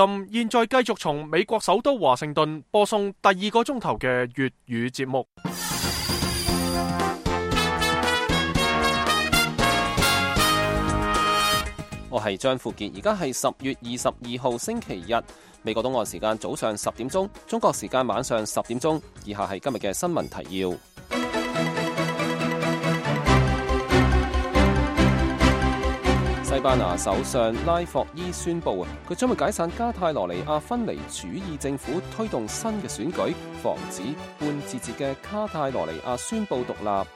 現在繼續從美國首都華盛頓播送第2個鐘頭嘅粵語節目。我係張富傑，而家係10月22號星期日，美國東岸時間早上10點鐘，中國時間晚上10點鐘。以下係今日嘅新聞提要。西班牙首相拉霍伊宣布佢將會解散加泰羅尼亞分離主義政府，推動新嘅選舉，防止半自治嘅加泰羅尼亞宣布獨立。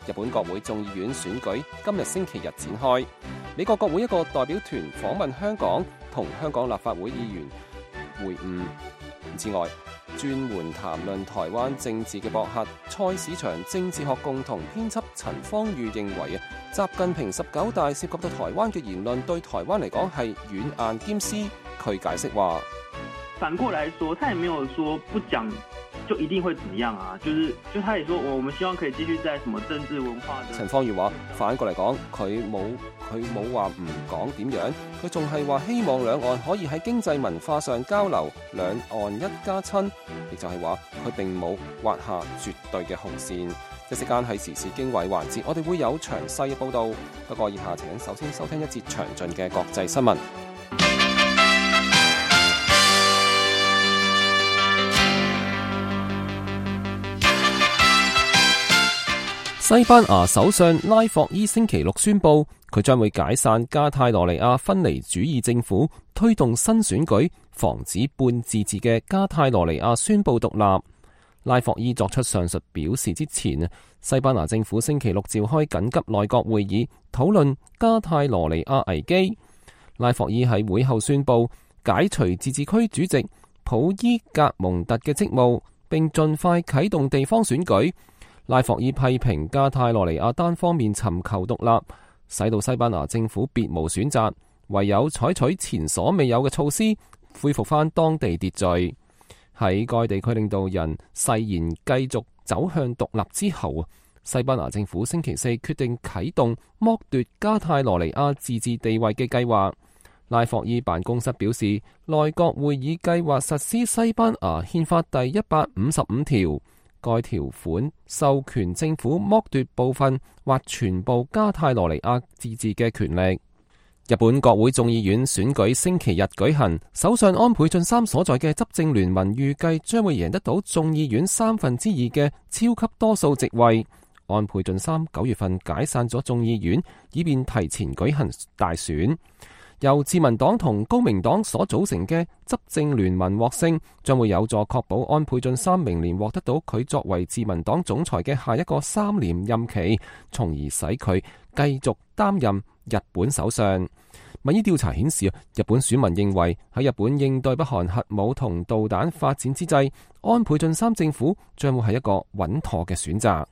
日本國會眾議院選舉今日星期日展開。美國國會一個代表團訪問香港，同香港立法會議員會晤。之外，專門談論台灣政治嘅博客蔡市場政治學共同編輯陳方宇認為習近平19大涉及到台灣嘅言論對台灣嚟講係軟硬兼施。佢解釋話，反過來說，他也沒有說不講就一定會怎麼樣啊，就他也說我們希望可以繼續在什麼政治文化的。陳方宇話反過嚟講，佢冇話唔講點樣，佢仲係話希望兩岸可以喺經濟文化上交流，兩岸一家親，亦就係話佢並冇劃下絕對嘅紅線。一時間係時事經緯環節，我哋會有詳細嘅報道。不過以下請首先收聽一節詳盡嘅國際新聞。西班牙首相拉霍伊星期六宣布，佢將會解散加泰羅尼亞分離主義政府，推動新選舉，防止半自治嘅加泰羅尼亞宣布獨立。拉霍伊作出上述表示之前，西班牙政府星期六召開緊急內閣會議，討論加泰羅尼亞危機。拉霍伊喺會後宣布解除自治區主席普伊格蒙特嘅職務，並盡快啟動地方選舉。拉霍伊批評加泰羅尼亞單方面尋求獨立，使到西班牙政府別無選擇，唯有採取前所未有嘅措施，恢復翻當地秩序。喺該地區領導人誓言繼續走向獨立之後，西班牙政府星期四決定啟動剝奪加泰羅尼亞自治地位嘅計劃。拉霍伊辦公室表示，內閣會議計劃實施西班牙憲法第155條。該條款授權政府剝奪部分或全部加泰羅尼亞自治嘅權力。日本國會眾議院選舉星期日舉行，首相安倍晉三所在嘅執政聯盟預計將會贏得到眾議院2/3嘅超級多數席位。安倍晉三9月份解散咗眾議院，以便提前舉行大選。由自民黨同公明黨所組成嘅執政聯盟獲勝，將會有助確保安倍晉三明年獲得到佢作為自民黨總裁嘅下一個3年任期，從而使佢繼續擔任日本首相。民意調查顯示，日本選民認為喺日本應對北韓核武同導彈發展之際，安倍晉三政府將會係一個穩妥嘅選擇。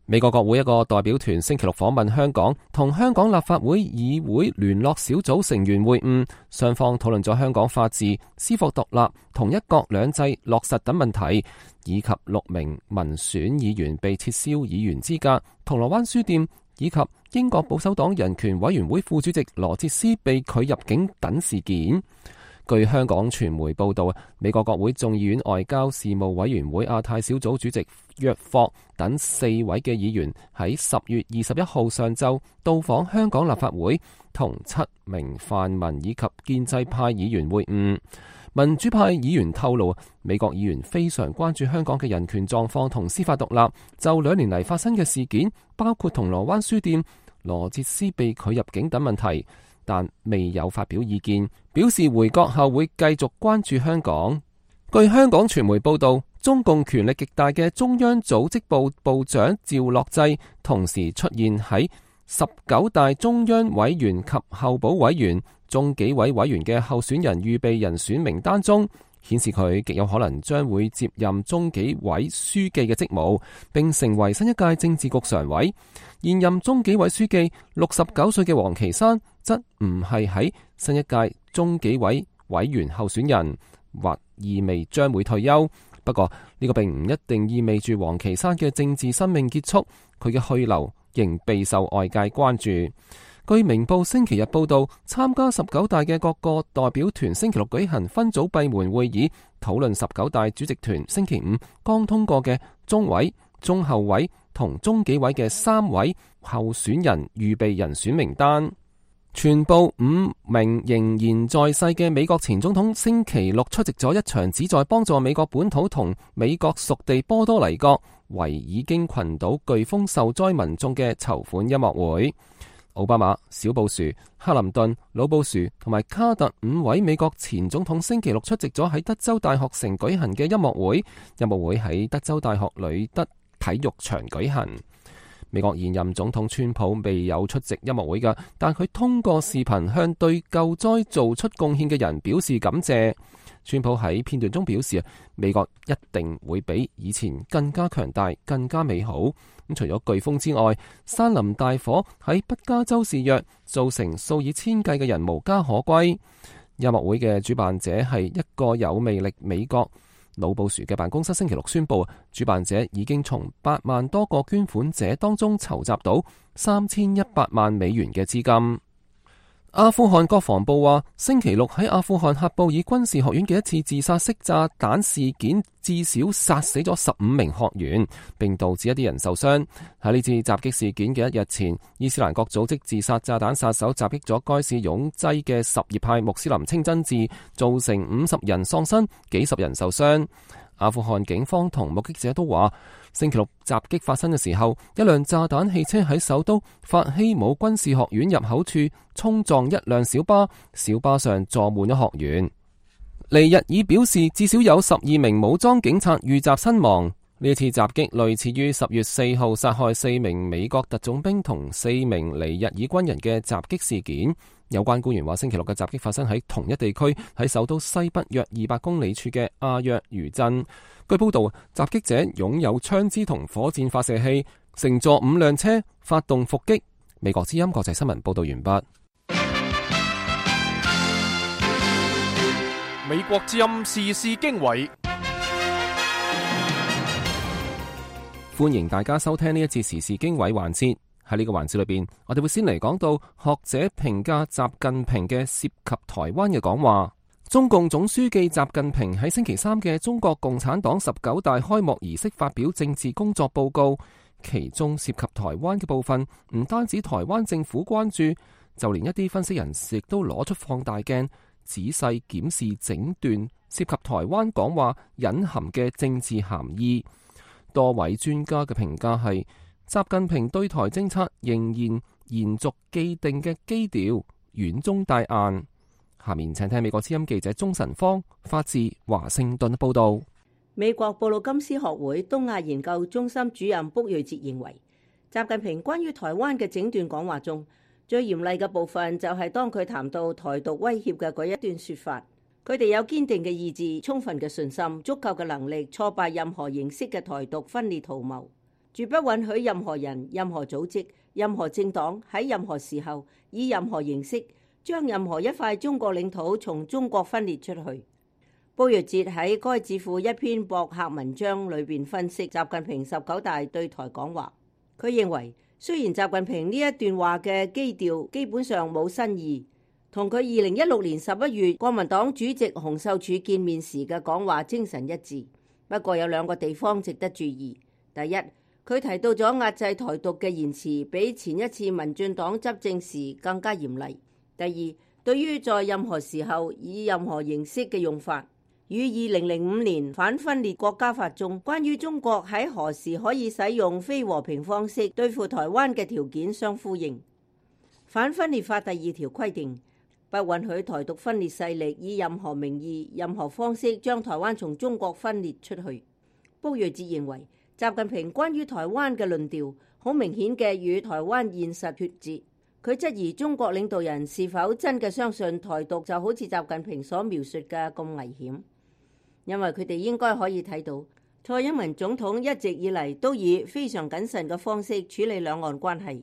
美國國會一個代表團星期六訪問香港，同香港立法會議會聯絡小組成員會晤，雙方討論咗香港法治、司法獨立同一國兩制落實等問題，以及6名民選議員被撤銷議員資格、銅鑼灣書店以及英國保守黨人權委員會副主席羅哲斯被拒入境等事件。據香港傳媒報道，美國國會眾議院外交事務委員會亞太小組主席約霍等4位嘅議員喺10月21號上晝到訪香港立法會，同7名泛民以及建制派議員會晤。民主派議員透露，美國議員非常關注香港嘅人權狀況同司法獨立，就2年嚟發生嘅事件，包括銅鑼灣書店、羅哲斯被拒入境等問題，但未有發表意見，表示回國後會繼續關注香港。據香港傳媒報道，中共權力極大嘅中央組織部部長趙樂際同時出現喺19大中央委員及候補委員、中紀委委員嘅候選人預備人選名單中，顯示佢極有可能將會接任中紀委書記嘅職務，並成為新一屆政治局常委。現任中紀委書記69歲嘅王岐山則唔係喺新一屆中紀委委員候選人，或意味將會退休。不過呢個並唔一定意味住王岐山嘅政治生命結束，佢嘅去留仍備受外界關注。據明報星期日報道，參加19大嘅各個代表團星期六舉行分組閉門會議，討論19大主席團星期五剛通過嘅中委、中後委同中紀委嘅3位候選人預備人選名單。全部5名仍然在世嘅美國前總統星期六出席咗一場旨在幫助美國本土同美國屬地波多黎各維爾京群島颶風受災民眾嘅籌款音樂會。奧巴馬、小布殊、克林頓、老布殊同埋卡特5位美國前總統星期六出席咗喺德州大學城舉行嘅音樂會。音樂會喺德州大學呂德體育場舉行。美國現任總統川普未有出席音樂會㗎，但佢通過視頻向對救災做出貢獻嘅人表示感謝。川普喺片段中表示，美國一定會比以前更加強大、更加美好。除咗颶風之外，山林大火喺北加州肆虐，造成數以千計嘅人無家可歸。音樂會嘅主辦者係一個有魅力美國。老布殊嘅辦公室星期六宣布，主辦者已經從8萬多個捐款者當中籌集到3100萬美元嘅資金。阿富汗國防部話，星期六喺阿富汗喀布爾軍事學院嘅一次自殺式炸彈事件，至少殺死咗15名學員，並導致一啲人受傷。喺呢次襲擊事件嘅1日前，伊斯蘭國組織自殺炸彈殺手襲擊咗該市擁擠嘅什葉派穆斯林清真寺，造成50人喪生，幾十人受傷。阿富汗警方同目擊者都話，星期六襲擊發生嘅時候，一輛炸彈汽車喺首都法希姆軍事學院入口處衝撞一輛小巴，小巴上坐滿咗學員。尼日爾表示，至少有12名武裝警察遇襲身亡。呢次襲擊類似於10月4號殺害4名美國特種兵同4名尼日爾軍人嘅襲擊事件。有關官員話，星期六嘅襲擊發生喺同一地區，喺首都西北約200公里處嘅阿約餘鎮。據報道，襲擊者擁有槍支同火箭發射器，乘坐5輛車發動伏擊。美國之音國際新聞報道完畢。美國之音時事經緯，歡迎大家收聽呢一節時事經緯環節。喺呢個環節裏邊，我哋會先嚟講到學者評價習近平嘅涉及台灣嘅講話。中共總書記習近平喺星期3嘅中國共產黨19大開幕儀式發表政治工作報告，其中涉及台灣嘅部分，唔單止台灣政府關注，就連一啲分析人士亦都攞出放大鏡，仔細檢視整段涉及台灣講話隱含嘅政治含義。多位專家嘅評價係，習近平對台政策仍然延續既定嘅基調，軟中帶硬。下面請聽美國之音記者鍾晨芳發自華盛頓報道。美國布魯金斯學會東亞研究中心主任卜瑞哲認為，習近平關於台灣嘅整段講話中，最嚴厲嘅部分就係當佢談到台獨威脅嘅嗰一段說法。佢哋有堅定嘅意志、充分嘅信心、足夠嘅能力挫敗任何形式嘅台獨分裂圖謀，絕不允許任何人、任何組織、任何政黨喺任何時候以任何形式將任何一塊中國領土從中國分裂出去。卜瑞哲喺該智庫一篇博客文章裏邊分析習近平19大對台講話。佢認為，雖然習近平呢一段話嘅基調基本上冇新意，同佢2016年11月國民黨主席洪秀柱見面時嘅講話精神一致，不過有2個地方值得注意。第一，佢提到咗壓制台獨嘅言辭比前一次民進黨執政時更加嚴厲。第二，對於在任何時候以任何形式嘅用法，與2005年反分裂國家法中關於中國喺何時可以使用非和平方式對付台灣嘅條件相呼應。反分裂法第2條規定，不允許台獨分裂勢力以任何名義、任何方式將台灣從中國分裂出去。卜瑞哲認為，習近平關於台灣嘅論調好明顯嘅與台灣現實脫節。佢質疑中國領導人是否真嘅相信台獨就好似習近平所描述嘅咁危險，因為佢哋應該可以睇到，蔡英文總統一直以嚟都以非常謹慎嘅方式處理兩岸關係，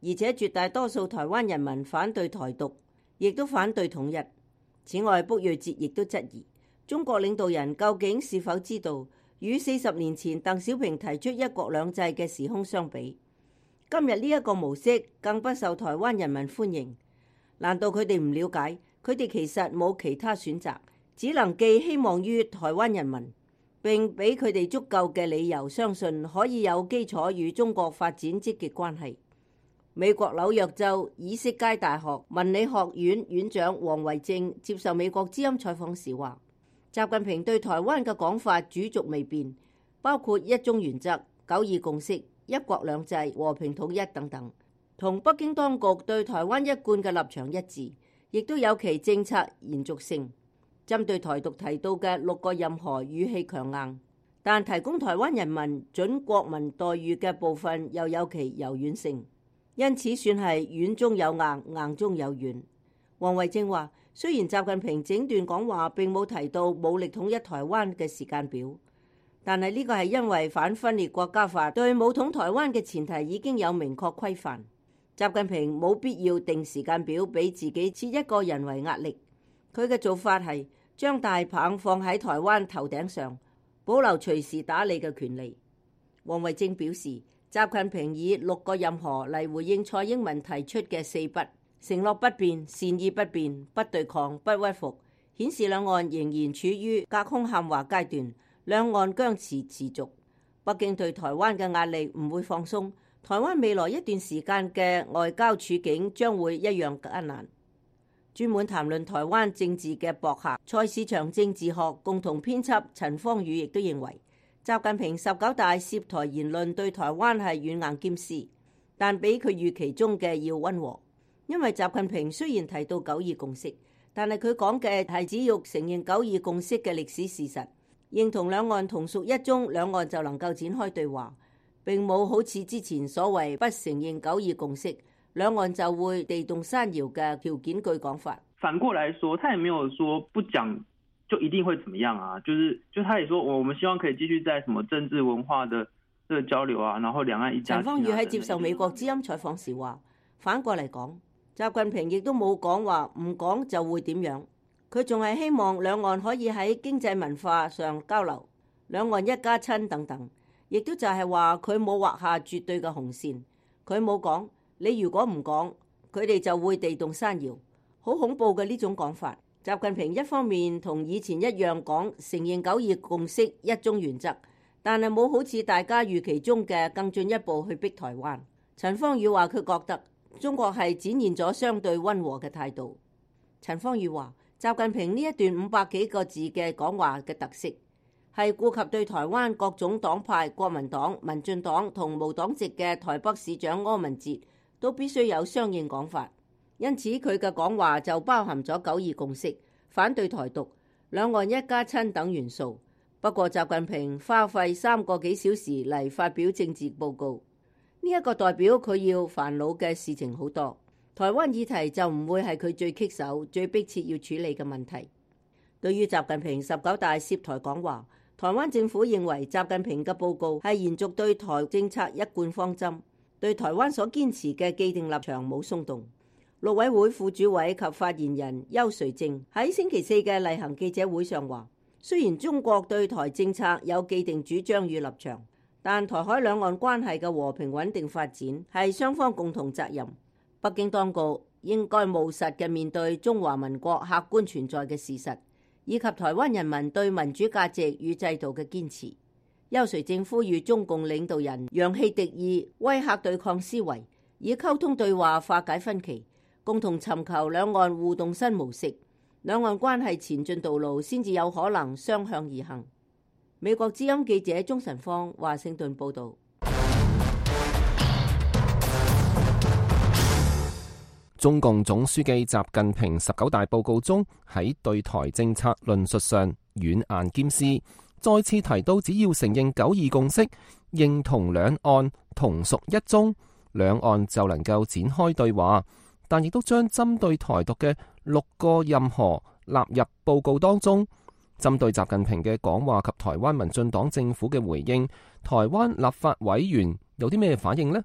而且絕大多數台灣人民反對台獨，亦都反對統一。此外，卜瑞哲亦都質疑中國領導人究竟是否知道，與40年前鄧小平提出一國兩制嘅時空相比，今日呢一個模式更不受台灣人民歡迎。難道佢哋唔了解？佢哋其實冇其他選擇，只能寄希望於台灣人民，並俾佢哋足夠嘅理由相信可以有基礎與中國發展積極關係。美國紐約州以色街大學文理學院院長王維正接受美國之音採訪時話，習近平對台灣嘅講法主軸未變，包括一中原則、九二共識、一國兩制、和平統一等等，同北京當局對台灣一貫嘅立場一致，亦都有其政策延續性。針對台獨提到嘅6個任何語氣強硬，但提供台灣人民準國民待遇嘅部分又有其柔軟性，因此算係軟中有硬，硬中有軟。王維正話，雖然習近平整段講話並冇提到武力統一台灣嘅時間表，但係呢個係因為反分裂國家法對武統台灣嘅前提已經有明確規範，習近平冇必要定時間表俾自己設一個人為壓力。佢嘅做法係將大棒放喺台灣頭頂上，保留隨時打你嘅權利。王維正表示，習近平以6個任何嚟回應蔡英文提出嘅4不：承諾不變、善意不變、不對抗、不屈服，顯示兩岸仍然處於隔空喊話階段，兩岸僵持持續。北京對台灣嘅壓力唔會放鬆，台灣未來一段時間嘅外交處境將會一樣艱難。專門談論台灣政治嘅博客蔡市場政治學共同編輯陳方宇亦都認為，習近平19大涉台言論對台灣係軟硬兼施，但比佢預期中嘅要溫和。因為習近平雖然提到九二共識，但係佢講嘅係只要承認九二共識嘅歷史事實，認同兩岸同屬一中，兩岸就能夠展開對話，並冇好似之前所謂不承認九二共識，兩岸就會地動山搖嘅條件句講法。反過來說，他也沒有說不講就一定會怎麼樣啊，就他也說我們希望可以繼續在什麼政治文化的這個交流啊，然後兩岸一家親。陳方宇喺接受美國之音採訪時話，反過嚟講，習近平亦都冇講話唔講就會點樣，佢仲係希望兩岸可以喺經濟文化上交流，兩岸一家親等等，亦都就係話佢冇畫下絕對嘅紅線，佢冇講你如果唔講，佢哋就會地動山搖，好恐怖嘅呢種講法。習近平一方面同以前一樣講承認九二共識、一中原則，但係冇好似大家預期中嘅更進一步去逼台灣。陳方宇話佢覺得中國係展現咗相對溫和嘅態度。陳方宇話，習近平呢一段500幾個字嘅講話嘅特色係顧及對台灣各種黨派、國民黨、民進黨同無黨籍嘅台北市長柯文哲都必須有相應講法，因此佢嘅講話就包含咗九二共識、反對台獨、兩岸一家親等元素。不過習近平花費3個幾小時嚟發表政治報告，呢一個代表佢要煩惱嘅事情好多，台灣議題就唔會係佢最棘手、最迫切要處理嘅問題。對於習近平19大涉台講話，台灣政府認為習近平嘅報告係延續對台政策一貫方針，對台灣所堅持嘅既定立場冇鬆動。陸委會副主委及發言人邱垂正喺星期4嘅例行記者會上話，雖然中國對台政策有既定主張與立場，但台海兩岸關係嘅和平穩定發展係雙方共同責任。北京當局應該務實嘅面對中華民國客觀存在嘅事實，以及台灣人民對民主價值與制度嘅堅持。邱垂正呼籲中共領導人揚棄敵意、威嚇對抗思維，以溝通對話化解分歧，共同尋求兩岸互動新模式，兩岸關係前進道路先至有可能雙向而行。美國之音記者鍾晨芳華盛頓報導。中共總書記習近平19大報告中喺對台政策論述上軟硬兼施，再次提到只要承認九二共識，認同兩岸同屬一中，兩岸就能夠展開對話，但亦都將針對台獨嘅6個任何納入報告當中。針對習近平嘅講話及台灣民進黨政府嘅回應，台灣立法委員有啲咩反應呢？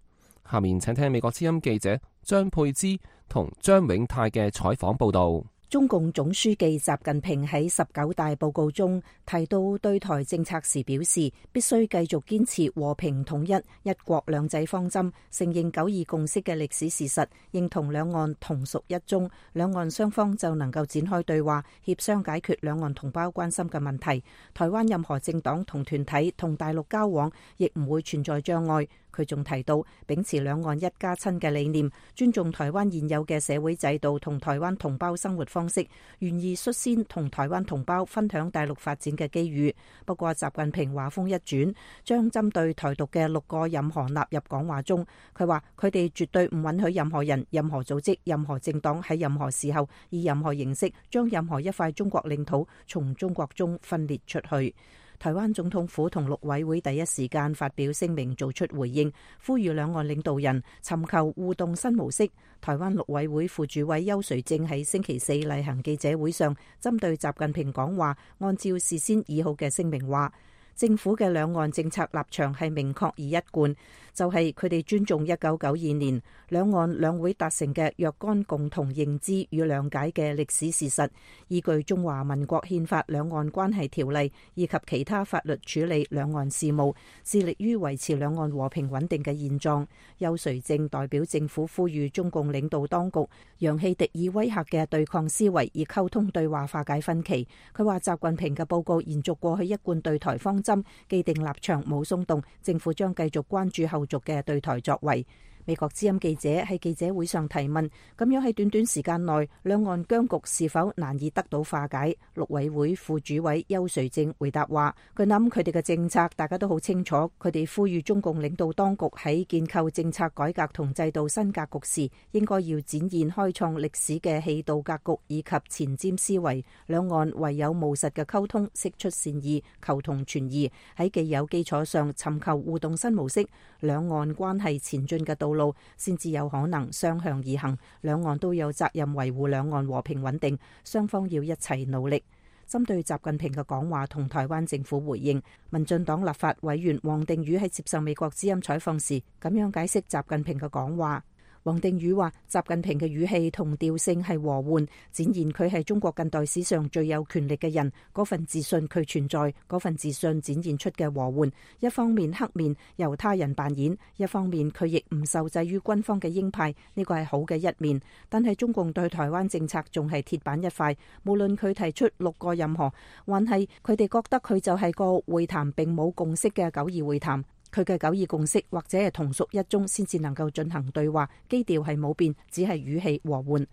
下面請聽美國之音記者張佩芝同張永泰嘅採訪報道。中共總書記習近平喺19大報告中提到對台政策時表示，必須繼續堅持和平統一、一國兩制方針，承認九二共識嘅歷史事實，認同兩岸同屬一中，兩岸雙方就能夠展開對話，協商解決兩岸同胞關心嘅問題。台灣任何政黨同團體同大陸交往，亦唔會存在障礙。佢仲提到，秉持兩岸一家親嘅理念，尊重台灣現有嘅社會制度同台灣同胞生活方式，願意率先同台灣同胞分享大陸發展嘅機遇。不過，習近平話風一轉，將針對台獨嘅6個任何納入講話中。佢話佢哋絕對唔允許任何人、任何組織、任何政黨喺任何時候以任何形式將任何一塊中國領土從中國中分裂出去。台灣總統府同陸委會第一時間發表聲明做出回應，呼籲兩岸領導人尋求互動新模式。台灣陸委會副主委邱垂正喺星期四例行記者會上，針對習近平講話，按照事先擬好嘅聲明話，政府嘅兩岸政策立場係明確而一貫，就係佢哋尊重1992年兩岸兩會達成嘅若干共同認知與諒解嘅歷史事實，依據中華民國憲法兩岸關係條例以及其他法律處理兩岸事務，致力於維持兩岸和平穩定嘅現狀。邱垂正代表政府呼籲中共領導當局揚棄敵意威嚇嘅對抗思維，以溝通對話化解分歧。佢話習近平嘅報告延續過去一貫對台方針，既定立場冇鬆動，政府將繼續關注後續嘅對台作為。美國之音記者喺記者會上提問，咁樣喺短短時間內兩岸僵局是否難以得到化解？陸委會副主委邱垂正回答話，佢諗佢哋嘅政策大家都好清楚，佢哋呼籲中共領導當局喺建構政策改革同制度新格局時，應該要展現開創歷史嘅氣度格局以及前瞻思維，兩岸唯有務實嘅溝通，釋出善意，求同存異，喺既有基礎上尋求互動新模式，兩岸關係前進嘅道路先至有可能雙向而行，兩岸都有責任維護兩岸和平穩定，雙方要一齊努力。針對習近平嘅講話同台灣政府回應，民進黨立法委員王定宇喺接受美國之音採訪時，咁樣解釋習近平嘅講話。王定宇話：習近平嘅語氣同調性係和緩，展現佢係中國近代史上最有權力嘅人，嗰份自信佢存在，嗰份自信展現出嘅和緩。一方面黑面由他人扮演，一方面佢亦唔受制於軍方嘅鷹派，呢個係好嘅一面。但係中共對台灣政策仲係鐵板一塊，無論佢提出6個任何，還係佢哋覺得佢就係個會談並冇共識嘅9·2會談。佢嘅9·2共識或者係同屬一中先至能夠進行對話，基調係冇變，只係語氣和緩。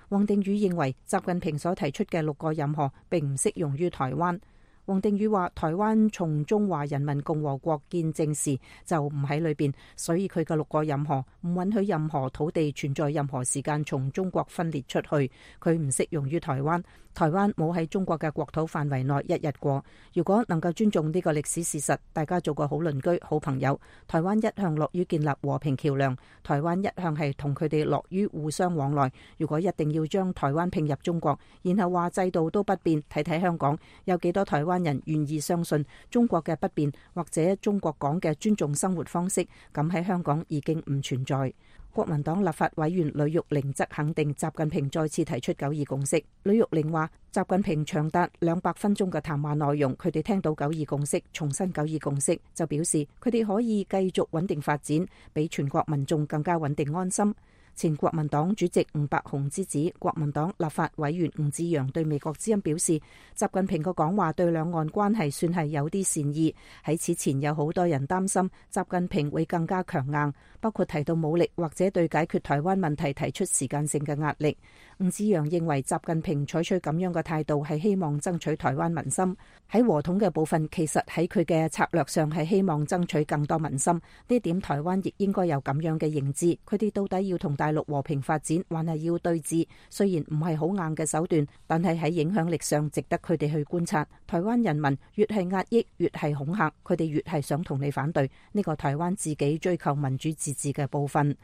王定宇認為習近平所提出嘅6個任何並唔適用於台灣。王定宇話：台灣從中華人民共和國建政時就唔喺裏邊，所以佢嘅6個任何唔允許任何土地存在任何時間從中國分裂出去，佢唔適用於台灣。台灣冇喺中國嘅國土範圍內一日過。如果能夠尊重呢個歷史事實，大家做個好鄰居、好朋友。台灣一向樂於建立和平橋梁，台灣一向係同佢哋樂於互相往來。如果一定要將台灣併入中國，然後話制度都不變，睇睇香港有幾多台灣人願意相信中國嘅不變，或者中國講嘅尊重生活方式，咁喺香港已經唔存在。國民黨立法委員呂玉玲則肯定習近平再次提出9·2共識。呂玉玲話：習近平長達200分鐘嘅談話內容，佢哋聽到9·2共識，重申9·2共識，就表示佢哋可以繼續穩定發展，比全國民眾更加穩定安心。前國民黨主席吳伯雄之子、國民黨立法委員吳志陽對美國之音表示，習近平嘅講話對兩岸關係算係有啲善意。喺此前有好多人擔心習近平會更加強硬，包括提到武力或者對解決台灣問題提出時間性嘅壓力。吳志陽認為習近平採取咁樣嘅態度係希望爭取台灣民心。喺和統嘅部分，其實喺佢嘅策略上係希望爭取更多民心。呢點台灣亦應該有咁樣嘅認知。佢哋到底要同大陸和平發展，還係要對峙？雖然唔係好硬嘅手段，但係喺影響力上值得佢哋去觀察。台灣人民越係壓抑，越係恐嚇，佢哋越係想同你反對。呢個台灣自己追求民主自治嘅部分。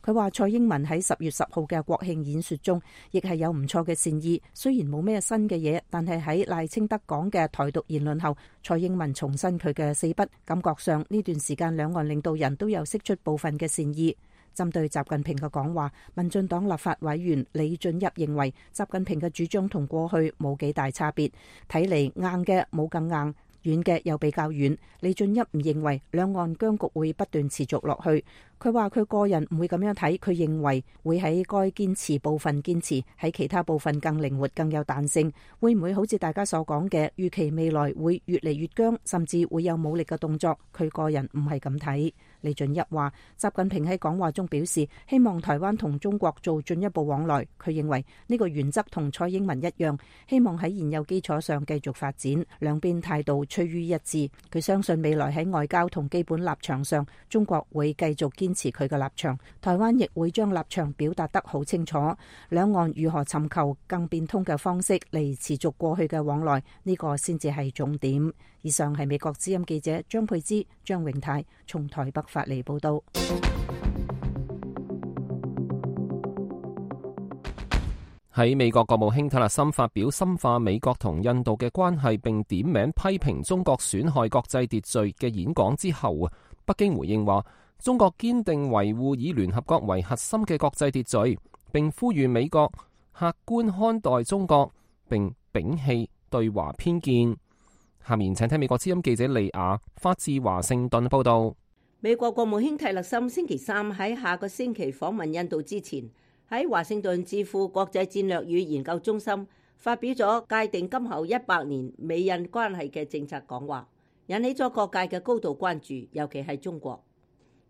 佢話蔡英文喺10月10號嘅國慶演說中，亦係有唔錯嘅善意。雖然冇咩新嘅嘢，但係喺賴清德講嘅台獨言論後，蔡英文重申佢嘅4不。感覺上呢段時間兩岸領導人都有釋出部分嘅善意。針對習近平嘅講話，民進黨立法委員李俊逸認為，習近平嘅主張同過去冇幾大差別，睇嚟硬嘅冇更硬，遠嘅又比較遠。李俊逸唔認為兩岸僵局會不斷持續落去。佢話佢個人唔會咁樣睇，佢認為會喺該堅持部分堅持，喺其他部分更靈活、更有彈性。會唔會好似大家所講嘅，預期未來會越嚟越僵，甚至會有武力嘅動作？佢個人唔係咁睇。李俊逸話，習近平喺講話中表示，希望台灣同中國做進一步往來。佢認為呢個原則同蔡英文一樣，希望喺現有基礎上繼續發展，兩邊態度趨於一致。佢相信未來喺外交同基本立場上，中國會繼續堅持佢嘅立場，台灣亦會將立場表達得好清楚。兩岸如何尋求更變通嘅方式嚟持續過去嘅往來，呢個先至係重點。以上係美國之音記者張佩芝、張永泰從台北發嚟報道。喺美國國務卿蒂勒森發表深化美國同印度嘅關係並點名批評中國損害國際秩序嘅演講之後，北京回應話，中國堅定維護以聯合國為核心嘅國際秩序，並呼籲美國客觀看待中國，並摒棄對華偏見。下面請聽美國之音記者利亞發自華盛頓報道。美國國務卿蒂勒森星期三喺下個星期訪問印度之前，喺華盛頓智庫國際戰略與研究中心發表咗界定今後100年美印關係嘅政策講話，引起咗各界嘅高度關注，尤其係中國。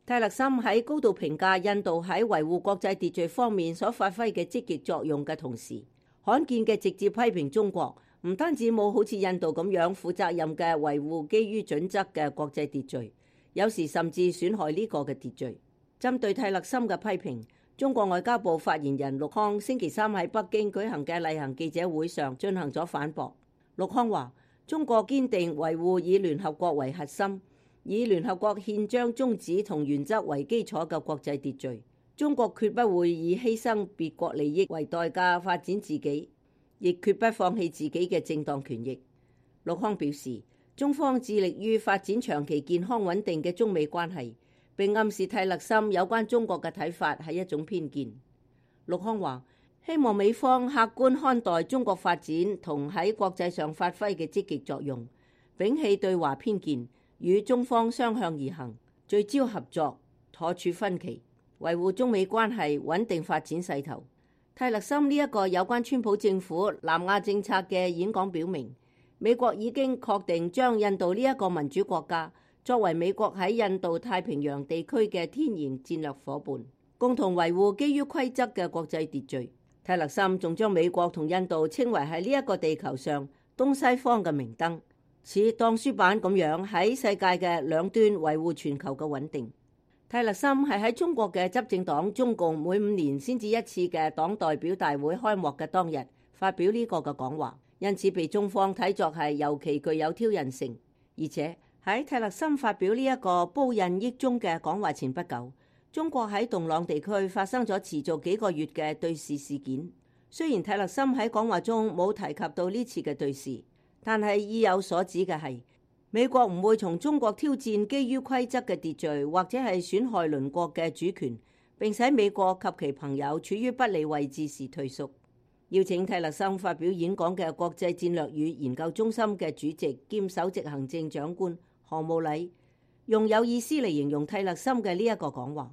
蒂勒森喺高度評價印度喺維護國際秩序方面所發揮嘅積極作用嘅同時，罕見嘅直接批評中國唔單止冇好似印度咁樣負責任嘅維護基於準則嘅國際秩序，有時甚至損害呢個嘅秩序。針對蒂勒森嘅批評，中國外交部發言人陸康星期三喺北京舉行嘅例行記者會上進行咗反駁。陸康話：中國堅定維護以聯合國為核心，以聯合國憲章宗旨同原則為基礎嘅國際秩序。中國決不會以犧牲別國利益為代價發展自己，亦決不放棄自己嘅正當權益。陸康表示，中方致力於發展長期健康穩定嘅中美關係，並暗示蒂勒森有關中國嘅睇法係一種偏見。陸康話：希望美方客觀看待中國發展同喺國際上發揮嘅積極作用，摒棄對華偏見，與中方相向而行，聚焦合作，妥處分歧，維護中美關係穩定發展勢頭。蒂勒森呢一個有關川普政府南亞政策嘅演講表明，美國已經確定將印度呢一個民主國家作為美國喺印度太平洋地區嘅天然戰略夥伴，共同維護基於規則嘅國際秩序。蒂勒森仲將美國同印度稱為喺呢一個地球上東西方嘅明燈，似當書板咁樣喺世界嘅兩端維護全球嘅穩定。蒂勒森係喺中國嘅執政黨中共每5年先至一次嘅黨代表大會開幕嘅當日發表呢個嘅講話，因此被中方睇作係尤其具有挑釁性。而且喺蒂勒森發表呢一個褒印益中嘅講話前不久，中國喺洞朗地區發生咗持續幾個月嘅對峙事件。雖然蒂勒森喺講話中冇提及到呢次嘅對峙，但係意有所指嘅係，美國唔會從中國挑戰基於規則嘅秩序，或者係損害鄰國嘅主權，並使美國及其朋友處於不利位置時退縮。邀請蒂勒森發表演講嘅國際戰略與研究中心嘅主席兼首席行政長官何慕禮用有意思嚟形容蒂勒森嘅呢一個講話。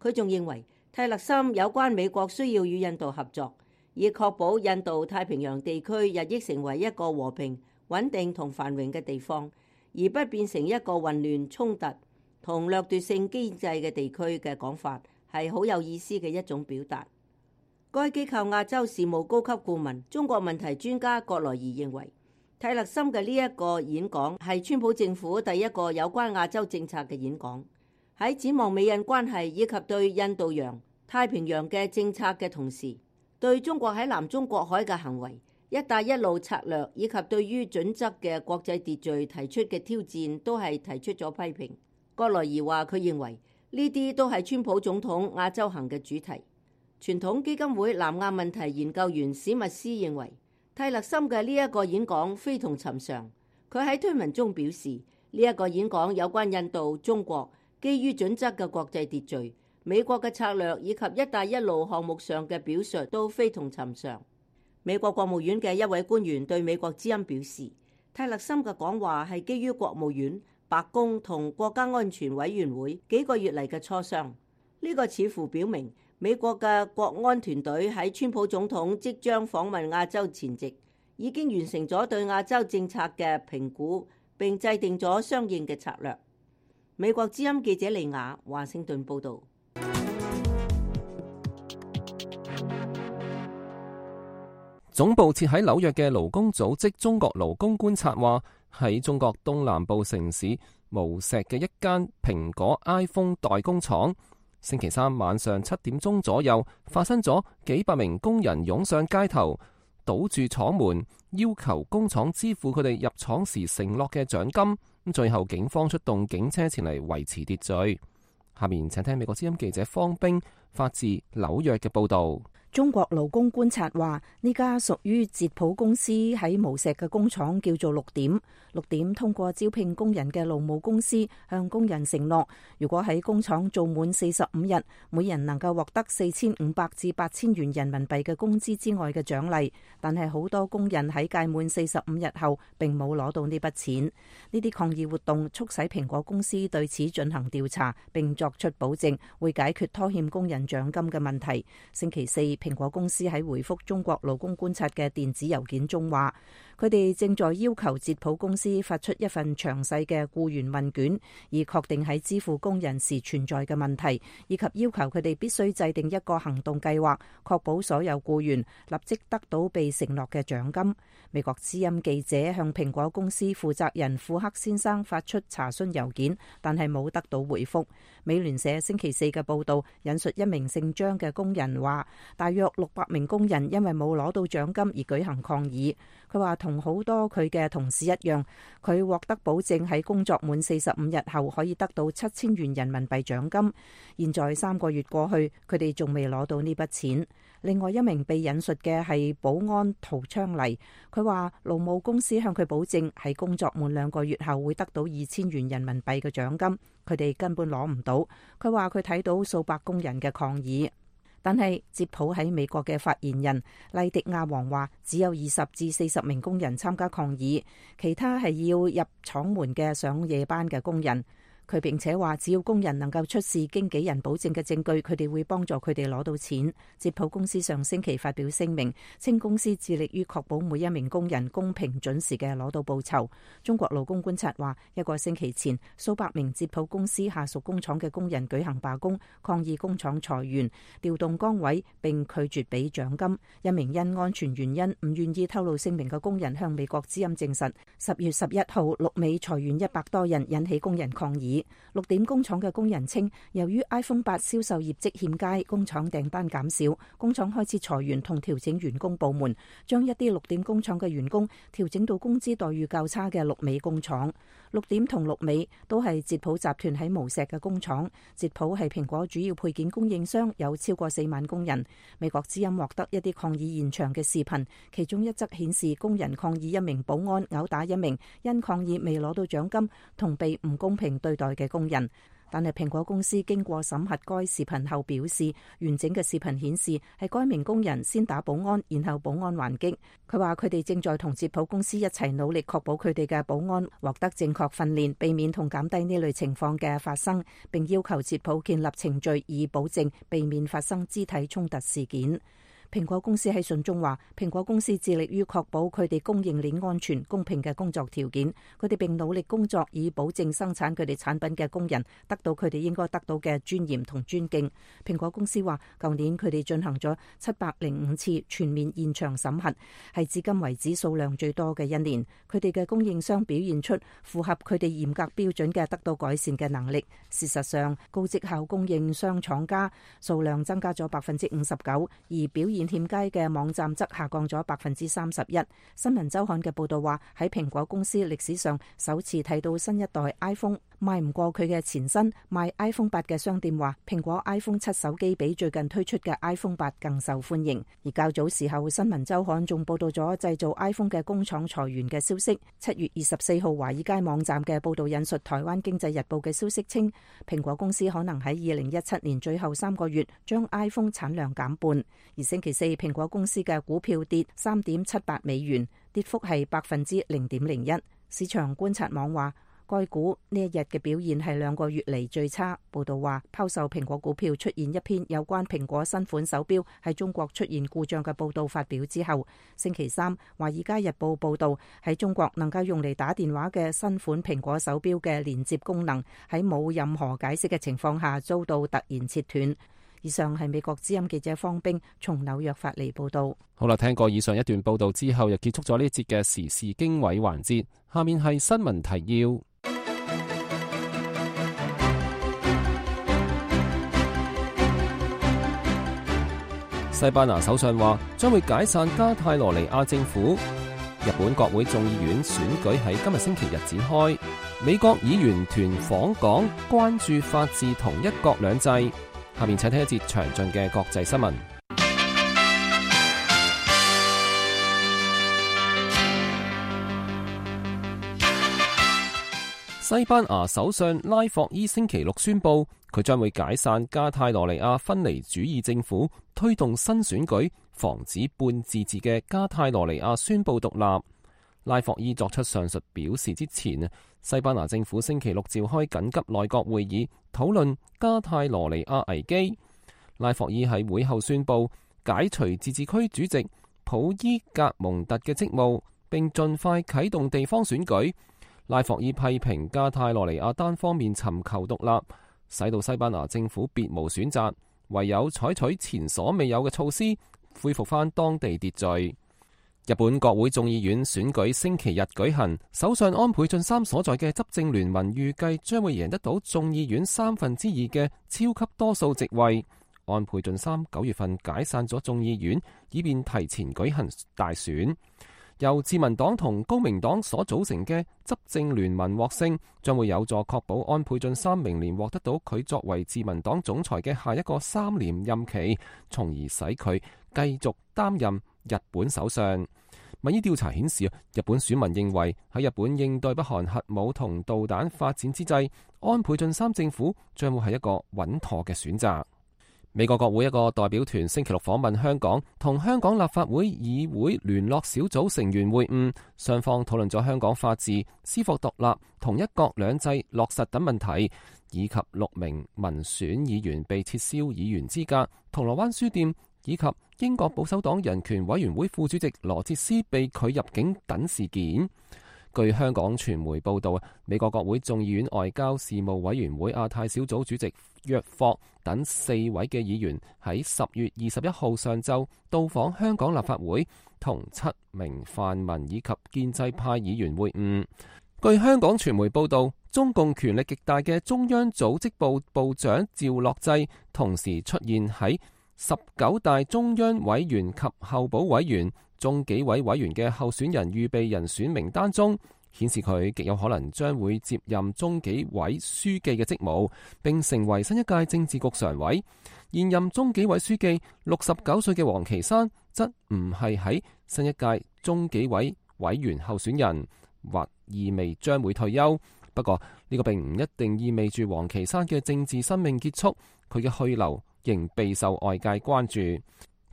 佢仲認為蒂勒森有關美國需要與印度合作，以確保印度太平洋地區日益成為一個和平、穩定同繁榮嘅地方，而不變成一個混亂、衝突同掠奪性經濟嘅地區嘅講法，係好有意思嘅一種表達。該機構亞洲事務高級顧問、中國問題專家葛萊儀認為，蒂勒森嘅呢一個演講係川普政府第一個有關亞洲政策嘅演講，喺展望美印關係以及對印度洋、太平洋嘅政策嘅同時，對中國喺南中國海嘅行為、一帶一路策略以及對於準則嘅國際秩序提出嘅挑戰都係提出咗批評。葛萊儀話佢認為呢啲都係川普總統亞洲行嘅主題。傳統基金會南亞問題研究員史密斯認為，蒂勒森嘅呢一個演講非同尋常。佢喺推文中表示，呢一個演講有關印度、中國基於準則嘅國際秩序，美國嘅策略以及一帶一路項目上嘅表述都非同尋常。美國國務院嘅一位官員對美國之音表示，泰勒森嘅講話係基於國務院、白宮同國家安全委員會幾個月嚟嘅磋商。呢個似乎表明美國嘅國安團隊喺川普總統即將訪問亞洲前夕，已經完成咗對亞洲政策嘅評估，並制定咗相應嘅策略。美國之音記者利亞華盛頓報導。總部設喺紐約嘅勞工組織中國勞工觀察話，喺中國東南部城市無錫嘅一間蘋果 iPhone 代工廠，星期三晚上7點鐘左右發生咗幾百名工人湧上街頭，堵住廠門，要求工廠支付佢哋入廠時承諾嘅獎金。最後警方出動警車前嚟維持秩序。下面請聽美國之音記者方冰發自紐約嘅報導。中國勞工觀察話，呢家屬於捷普公司喺無錫嘅工廠叫做6點。6點通過招聘工人嘅勞務公司向工人承諾，如果喺工廠做滿45日，每人能夠獲得4500至8000元人民幣嘅工資之外嘅獎勵。但係好多工人喺屆滿45日後並冇攞到呢筆錢。呢啲抗議活動促使蘋果公司對此進行調查，並作出保證會解決拖欠工人獎金嘅問題。星期四，蘋果公司喺回覆中國勞工觀察嘅電子郵件中話，佢哋正在要求捷普公司發出一份詳細嘅僱員問卷，以確定喺支付工人時存在嘅問題，以及要求佢哋必須制定一個行動計劃，確保所有僱員立即得到被承諾嘅獎金。美國之音記者向蘋果公司負責人庫克先生發出查詢郵件，但係冇得到回覆。美聯社星期四嘅報道引述一名姓張嘅工人話，大約600名工人因為冇攞到獎金而舉行抗議。佢話同好多佢嘅同事一樣，佢獲得保證喺工作滿45日後可以得到7000元人民幣獎金。現在3個月過去，佢哋仲未攞到呢筆錢。另外一名被引述嘅係保安陶昌黎，佢話勞務公司向佢保證喺工作滿2個月後會得到2000元人民幣嘅獎金，佢哋根本攞唔到。佢話佢睇到數百工人嘅抗議。但係捷普喺美國嘅發言人麗迪亞王話，只有20至40名工人參加抗議，其他係要入廠門嘅上夜班嘅工人。佢並且話，只要工人能夠出示經紀人保證嘅證據，佢哋會幫助佢哋攞到錢。捷普公司上星期發表聲明，稱公司致力於確保每一名工人公平準時嘅攞到報酬。中國勞工觀察話，一個星期前，數百名捷普公司下屬工廠嘅工人舉行罷工，抗議工廠裁員、調動崗位並拒絕俾獎金。一名因安全原因唔願意透露姓名嘅工人向美國之音證實，10月11號陸美裁員100多人，引起工人抗議。6點工廠嘅工人稱，由於 iPhone 8銷售業績欠佳，工廠訂單減少，工廠開始裁員同調整員工部門，將一啲6點工廠嘅員工調整到工資待遇較差嘅陸美工廠。6點同陸美都係捷普集團喺無錫嘅工廠。捷普係蘋果主要配件供應商，有超過4萬工人。美國之音獲得一啲抗議現場嘅視頻，其中一則顯示工人抗議一名保安毆打一名因抗議未攞到獎金同被唔公平對待嘅工人。但係蘋果公司經過審核該視頻後表示，完整嘅視頻顯示係該名工人先打保安，然後保安還擊。佢話佢哋正在同捷普公司一齊努力，確保佢哋嘅保安獲得正確訓練，避免同減低呢類情況嘅發生，並要求捷普建立程序以保證避免發生肢體衝突事件。蘋果公司喺信中話，蘋果公司致力於確保佢哋供應鏈安全、公平嘅工作條件。佢哋並努力工作以保證生產佢哋產品嘅工人得到佢哋應該得到嘅尊嚴同尊敬。蘋果公司話，舊年佢哋進行咗705次全面現場審核，係至今為止數量最多嘅一年。佢哋嘅供應商表現出符合佢哋嚴格標準嘅得到改善嘅能力。事實上，高績效供應商廠家數量增加咗59%，而表現欠佳嘅網站則下降咗31%。新聞週刊嘅報道話，喺蘋果公司歷史上首次睇到新一代 iPhone 賣唔過佢嘅前身賣 iPhone 8嘅商店話，蘋果 iPhone 7手機比最近推出嘅 iPhone 8更受歡迎。而較早時候，新聞週刊仲報道咗製造 iPhone 嘅工廠裁員嘅消息。7月24號，華爾街網站嘅報道引述台灣經濟日報嘅消息稱，蘋果公司可能喺2017年最後3個月將 iPhone 產量減半。而星期四，蘋果公司嘅股票跌3.78美元，跌幅係0.01%。市場觀察網話，該股呢一日嘅表現係2個月嚟最差。報道話，拋售蘋果股票出現一篇有關蘋果新款手錶喺中國出現故障嘅報道發表之後，星期三，華爾街日報報道喺中國能夠用嚟打電話嘅新款蘋果手錶嘅連接功能喺冇任何解釋嘅情況下遭到突然切斷。以上係美國之音記者方冰從紐約發嚟報道。好啦，聽過以上一段報道之後，又結束咗呢一節嘅時事經緯環節。下面係新聞提要。西班牙首相話將會解散加泰羅尼亞政府。日本國會眾議院選舉喺今日星期日展開。美國議員團訪港，關注法治同一國兩制。下面請聽一節詳盡嘅國際新聞。西班牙首相拉霍伊星期六宣布，佢將會解散加泰羅尼亞分離主義政府，推動新選舉，防止半自治嘅加泰羅尼亞宣布獨立。拉霍伊作出上述表示之前，西班牙政府星期六召開緊急內閣會議，討論加泰羅尼亞危機。拉霍伊喺會後宣布解除自治區主席普伊格蒙特嘅職務，並盡快啟動地方選舉。拉霍伊批評加泰羅尼亞單方面尋求獨立，使到西班牙政府別無選擇，唯有採取前所未有嘅措施，恢復返當地秩序。日本國會眾議院選舉星期日舉行，首相安倍晉三所在嘅執政聯盟預計將會贏得到眾議院2/3嘅超級多數席位。安倍晉三9月份解散咗眾議院，以便提前舉行大選。由自民黨同公明黨所組成嘅執政聯盟獲勝，將會有助確保安倍晉三明年獲得到佢作為自民黨總裁嘅下一個3年任期，從而使佢繼續擔任日本首相。民意調查顯示，日本選民認為喺日本應對北韓核武同導彈發展之際，安倍晉三政府將會係一個穩妥嘅選擇。美國國會一個代表團星期六訪問香港，同香港立法會議會聯絡小組成員會晤，雙方討論咗香港法治、司法獨立同一國兩制落實等問題，以及6名民選議員被撤銷議員資格、銅鑼灣書店以及英國保守黨人權委員會副主席羅哲斯被拒入境等事件。據香港傳媒報道，美國國會眾議院外交事務委員會亞太小組主席約霍等4位嘅議員喺10月21號上晝到訪香港立法會，同7名泛民以及建制派議員會晤。據香港傳媒報道，中共權力極大嘅中央組織部部長趙樂際同時出現喺19大中央委員及候補委員、中紀委委員嘅候選人預備人選名單中，顯示佢極有可能將會接任中紀委書記嘅職務，並成為新一屆政治局常委。現任中紀委書記69歲嘅王岐山則唔係喺新一屆中紀委委員候選人，或意味將會退休。不過呢個並唔一定意味住王岐山嘅政治生命結束，佢嘅去留仍備受外界關注。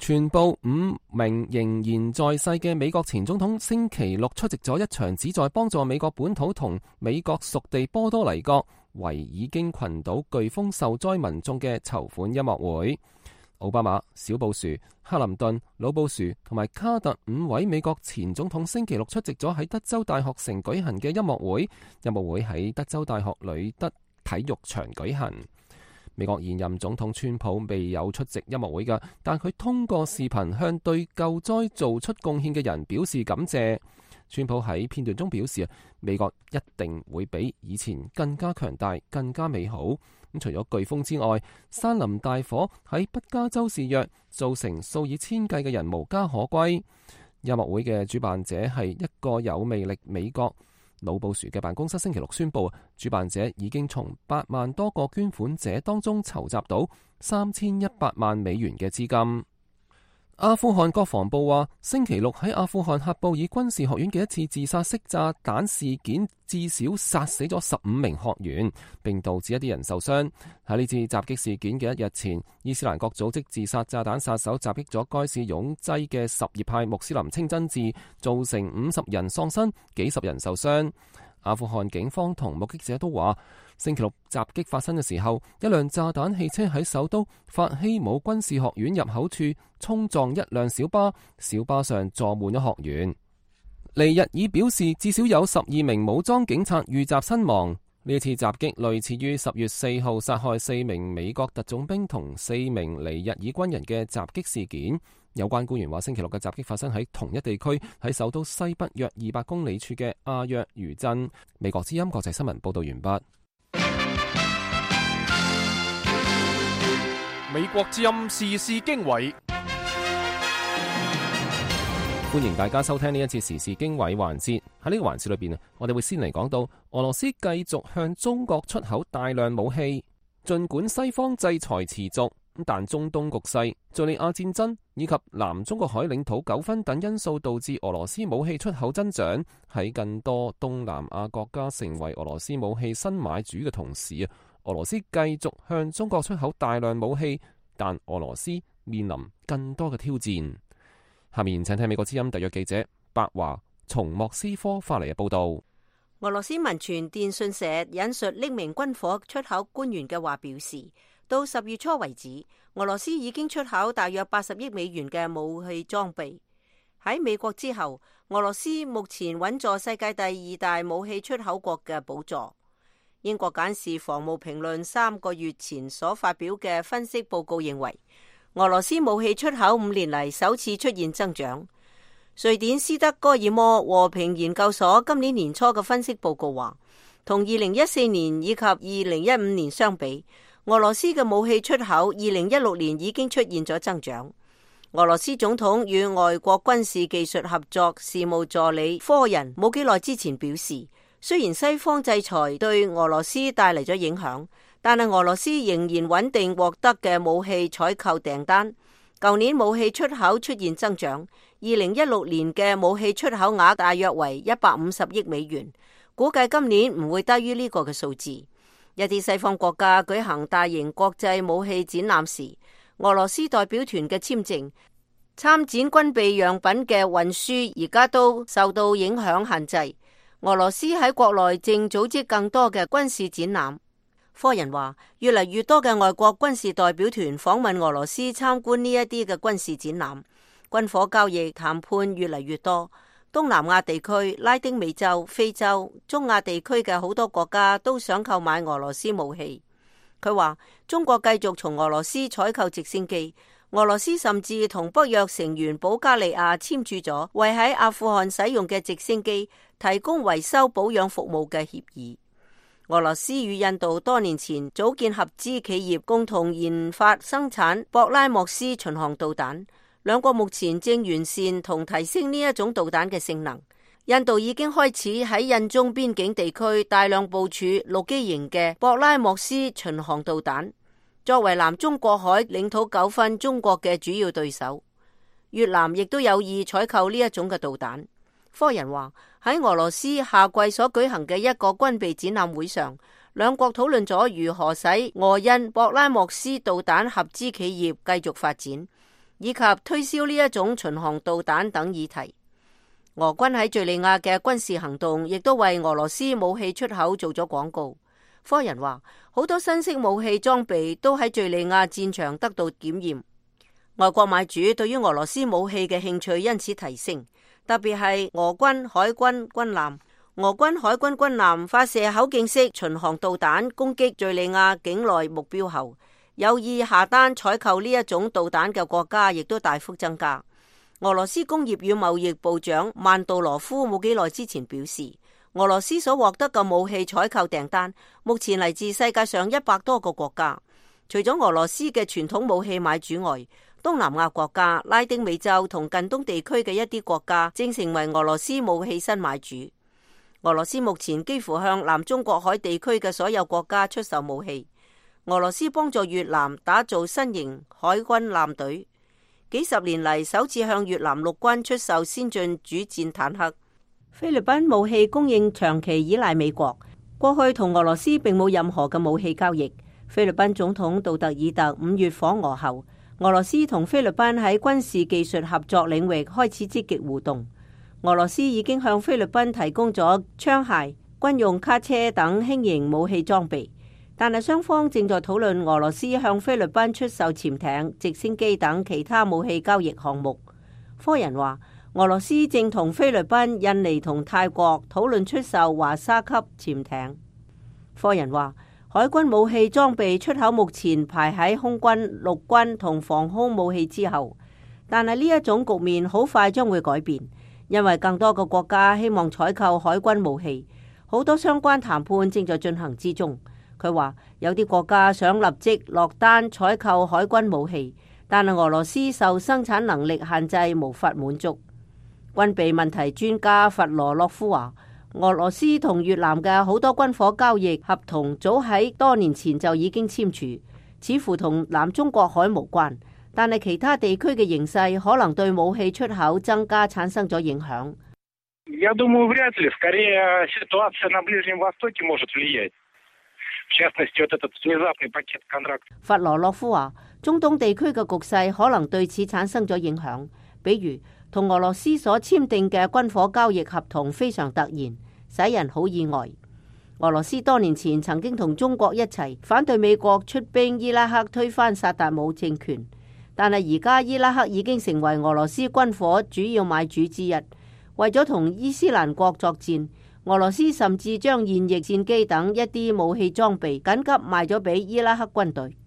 全部5名仍然在世嘅美國前總統星期六出席咗一場旨在幫助美國本土同美國屬地波多黎各維爾京群島颶風受災民眾嘅籌款音樂會。奧巴馬、小布殊、克林頓、老布殊同埋卡特5位美國前總統星期六出席咗喺德州大學城舉行嘅音樂會。音樂會喺德州大學呂德體育場舉行。美國現任總統川普未有出席音樂會㗎，但佢通過視頻向對救災做出貢獻嘅人表示感謝。川普喺片段中表示，美國一定會比以前更加強大、更加美好。除咗颶風之外，山林大火喺北加州肆虐，造成數以千計嘅人無家可歸。音樂會嘅主辦者係一個有魅力美國老布殊嘅辦公室星期六宣布，主辦者已經從8萬多個捐款者當中籌集到3100萬美元嘅資金。阿富汗國防部話，星期六喺阿富汗喀布爾軍事學院嘅一次自殺式炸彈事件，至少殺死咗15名學員，並導致一啲人受傷。喺呢次襲擊事件嘅一日前，伊斯蘭國組織自殺炸彈殺手襲擊咗該市擁擠嘅什葉派穆斯林清真寺，造成50人喪生，幾十人受傷。阿富汗警方同目擊者都話，星期六襲擊發生嘅時候，一輛炸彈汽車喺首都法希姆軍事學院入口處衝撞一輛小巴，小巴上坐滿咗學員。尼日爾表示，至少有12名武裝警察遇襲身亡。呢次襲擊類似於10月4號殺害4名美國特種兵同4名尼日爾軍人嘅襲擊事件。有關官員話，星期六嘅襲擊發生喺同一地區，喺首都西北約200公里處嘅阿約餘鎮。美國之音國際新聞報道完畢。美國之音時事經緯，歡迎大家收聽呢一次時事經緯環節。喺呢個環節裏邊我哋會先嚟講到俄羅斯繼續向中國出口大量武器，盡管西方制裁持續，但中東局勢、敘利亞戰爭以及南中國海領土糾紛等因素導致俄羅斯武器出口增長。喺更多東南亞國家成為俄羅斯武器新買主嘅同時，俄羅斯繼續向中國出口大量武器，但俄羅斯面臨更多嘅挑戰。下面請聽美國之音特約記者白華從莫斯科發嚟嘅報道。俄羅斯民傳電訊社引述匿名軍火出口官員嘅話表示，到10月初為止，俄羅斯已經出口大約80億美元嘅武器裝備。喺美國之後，俄羅斯目前穩坐世界第2大武器出口國嘅寶座。英國簡氏防務評論3個月前所發表嘅分析報告認為，俄羅斯武器出口5年嚟首次出現增長。瑞典斯德哥爾摩和平研究所今年年初嘅分析報告話，同2014年以及2015年相比，俄羅斯嘅武器出口2016年已經出現咗增長。俄羅斯總統與外國軍事技術合作事務助理科人冇幾耐之前表示，雖然西方制裁對俄羅斯帶嚟咗影響，但係俄羅斯仍然穩定獲得嘅武器採購訂單。舊年武器出口出現增長，2016年嘅武器出口額大約為150億美元，估計今年唔會低於呢個嘅數字。一啲西方國家舉行大型國際武器展覽時，俄羅斯代表團嘅簽證、參展軍備樣品嘅運輸而家都受到影響限制。俄羅斯喺國內正組織更多嘅軍事展覽。科人話，越嚟越多嘅外國軍事代表團訪問俄羅斯參觀呢一啲嘅軍事展覽。軍火交易談判越嚟越多。東南亞地區、拉丁美洲、非洲、中亞地區嘅好多國家都想購買俄羅斯武器。佢話，中國繼續從俄羅斯採購直升機，俄羅斯甚至同北約成員保加利亞簽署咗為喺阿富汗使用嘅直升機提供維修保養服務嘅協議。俄羅斯與印度多年前組建合資企業，共同研發生產博拉莫斯巡航導彈。兩國目前正完善同提升呢一種導彈嘅性能。印度已經開始喺印中邊境地區大量部署陸基型嘅博拉莫斯巡航導彈。作為南中國海領土糾紛中國嘅主要對手，越南亦都有意採購呢一種嘅導彈。科人話，喺俄羅斯夏季所舉行嘅一個軍備展覽會上，兩國討論咗如何使俄印博拉莫斯導彈合資企業繼續發展，以及推銷呢一種巡航導彈等議題。俄軍喺敘利亞嘅軍事行動亦都為俄羅斯武器出口做咗廣告。科人話，好多新式武器裝備都喺敘利亞戰場得到檢驗。外國買主對於俄羅斯武器嘅興趣因此提升，特別係俄軍海軍軍艦。俄軍海軍軍艦發射口徑式巡航導彈攻擊敘利亞境內目標後，有意下單採購呢一種導彈嘅國家亦都大幅增加。俄羅斯工業與貿易部長曼杜羅夫冇幾耐之前表示，俄羅斯所獲得嘅武器採購訂單目前嚟自世界上100多個國家。除咗俄羅斯嘅傳統武器買主外，東南亞國家、拉丁美洲同近東地區嘅一啲國家正成為俄羅斯武器新買主。俄羅斯目前幾乎向南中國海地區嘅所有國家出售武器。俄羅斯幫助越南打造新型海軍艦隊，幾十年嚟首次向越南陸軍出售先進主戰坦克。菲律賓武器供應長期依賴美國，過去同俄羅斯並冇任何嘅武器交易。菲律賓總統杜特爾特5月訪俄後，俄羅斯同菲律賓喺軍事技術合作領域開始積極互動。俄羅斯已經向菲律賓提供咗槍械、軍用卡車等輕型武器裝備，但係雙方正在討論俄羅斯向菲律賓出售潛艇、直升機等其他武器交易項目。科人話，俄羅斯正同菲律賓、印尼同泰國討論出售華沙級潛艇。科人話，海軍武器裝備出口目前排喺空軍、陸軍同防空武器之後，但係呢一種局面好快將會改變。因為更多嘅國家希望採購海軍武器，好多相關談判正在進行之中。佢話有啲國家想立即落單採購海軍武器，但係俄羅斯受生產能力限制，無法滿足。軍備問題專家弗羅洛夫話，俄羅斯同越南嘅好多軍火交易合同早喺多年前就已經簽署，似乎同南中國海無關。但係其他地區嘅形勢可能對武器出口增加產生咗影響。弗羅洛夫話，中東地區嘅局勢可能對此產生咗影響，比如同俄羅斯所簽訂嘅軍火交易合同非常突然，使人好意外。俄羅斯多年前曾經同中國一齊反對美國出兵伊拉克推翻薩達姆政權。但係而家伊拉克已經成為俄羅斯軍火主要買主之一。為咗同伊斯蘭國作戰，俄羅斯甚至將現役戰機等一啲武器裝備緊急賣咗俾伊拉克軍隊。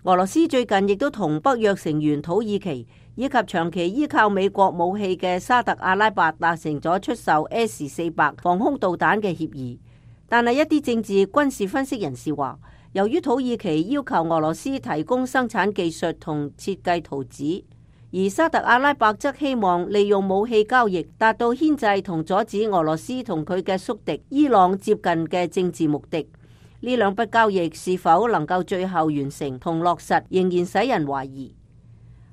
俄羅斯最近亦都同北約成員土耳其以及長期依靠美國武器嘅沙特阿拉伯達成咗出售 S-400 防空導彈嘅協議。但係一啲政治軍事分析人士話，由於土耳其要求俄羅斯提供生產技術同設計圖紙，而沙特阿拉伯則希望利用武器交易達到牽制同阻止俄羅斯同佢嘅宿敵伊朗接近嘅政治目的。呢兩筆交易是否能夠最後完成同落實，仍然使人懷疑。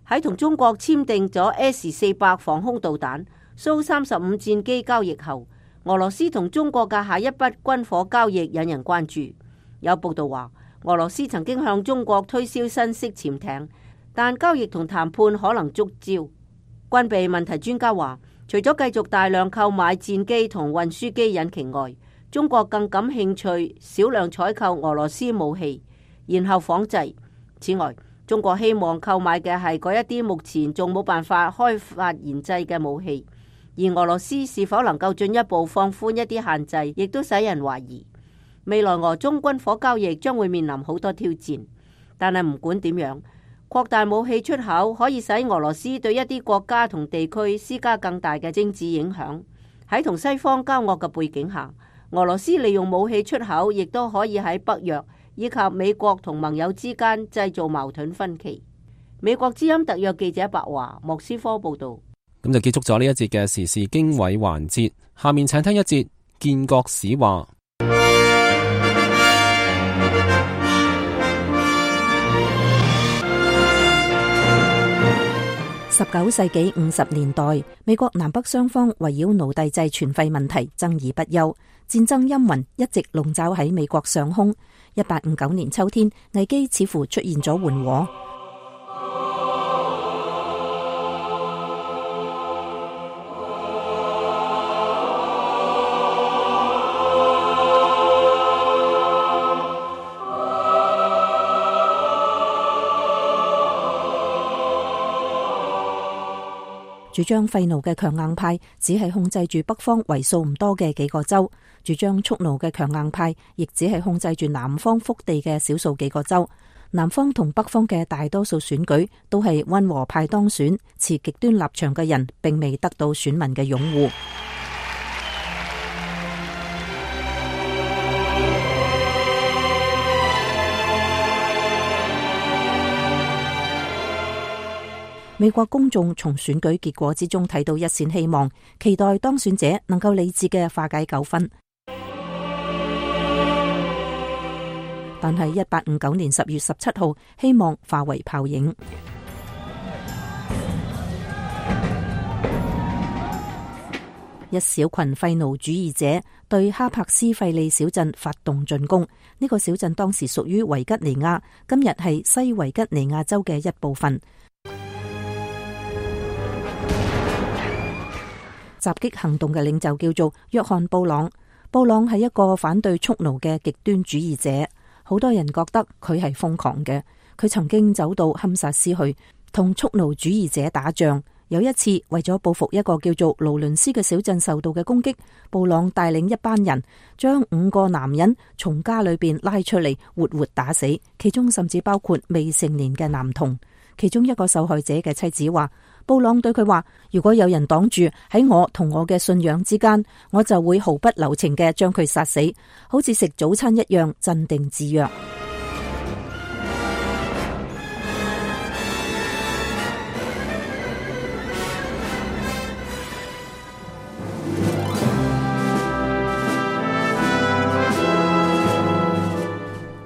喺同中國簽訂咗 S-400 防空導彈、蘇35戰機交易後，俄羅斯同中國嘅下一筆軍火交易引人關注。有報道話，俄羅斯曾經向中國推銷新式潛艇，但交易同談判可能觸礁。軍備問題專家話，除咗繼續大量購買戰機同運輸機引擎外，中國更感興趣少量採購俄羅斯武器，然後仿製。此外，中國希望購買嘅係嗰一啲目前仲冇辦法開發研製嘅武器，而俄羅斯是否能夠進一步放寬一啲限制，亦都使人懷疑。未來俄中軍火交易將會面臨好多挑戰，但係唔管點樣，擴大武器出口可以使俄羅斯對一啲國家同地區施加更大嘅政治影響。喺同西方交惡嘅背景下，俄羅斯利用武器出口亦都可以喺北約以及美國同盟友之間製造矛盾分歧。美國之音特約記者白華莫斯科報道。咁就結束咗呢一節嘅時事經緯環節，下面請聽一節建國史話。19世紀50年代，美國南北雙方圍繞奴隸制全廢問題爭議不休，戰爭陰雲一直籠罩喺美國上空。1859年秋天，危機似乎出現咗緩和。主張廢奴嘅強硬派只係控制住北方為數唔多嘅幾個州，主張蓄奴嘅強硬派亦只係控制住南方腹地嘅少數幾個州。南方同北方嘅大多數選舉都係溫和派當選，持極端立場嘅人並未得到選民嘅擁護。美國公眾從選舉結果之中睇到一線希望，期待當選者能夠理智嘅化解糾紛。但係1859年10月17號，希望化為泡影。一小群廢奴主義者對哈柏斯費利小鎮發動進攻。呢個小鎮當時屬於維吉尼亞，今日係西維吉尼亞州嘅一部分。襲擊行動嘅領袖叫做約翰布朗。布朗係一個反對蓄奴嘅極端主義者，好多人覺得佢係瘋狂嘅。佢曾經走到堪薩斯去同蓄奴主義者打仗。有一次，為咗報復一個叫做勞倫斯嘅小鎮受到嘅攻擊，布朗帶領一班人將5個男人從家裏邊拉出嚟，活活打死，其中甚至包括未成年嘅男童。其中一個受害者嘅妻子話，布朗對佢話，如果有人擋住喺我同我嘅信仰之間，我就會毫不留情嘅將佢殺死，好似食早餐一樣鎮定自若。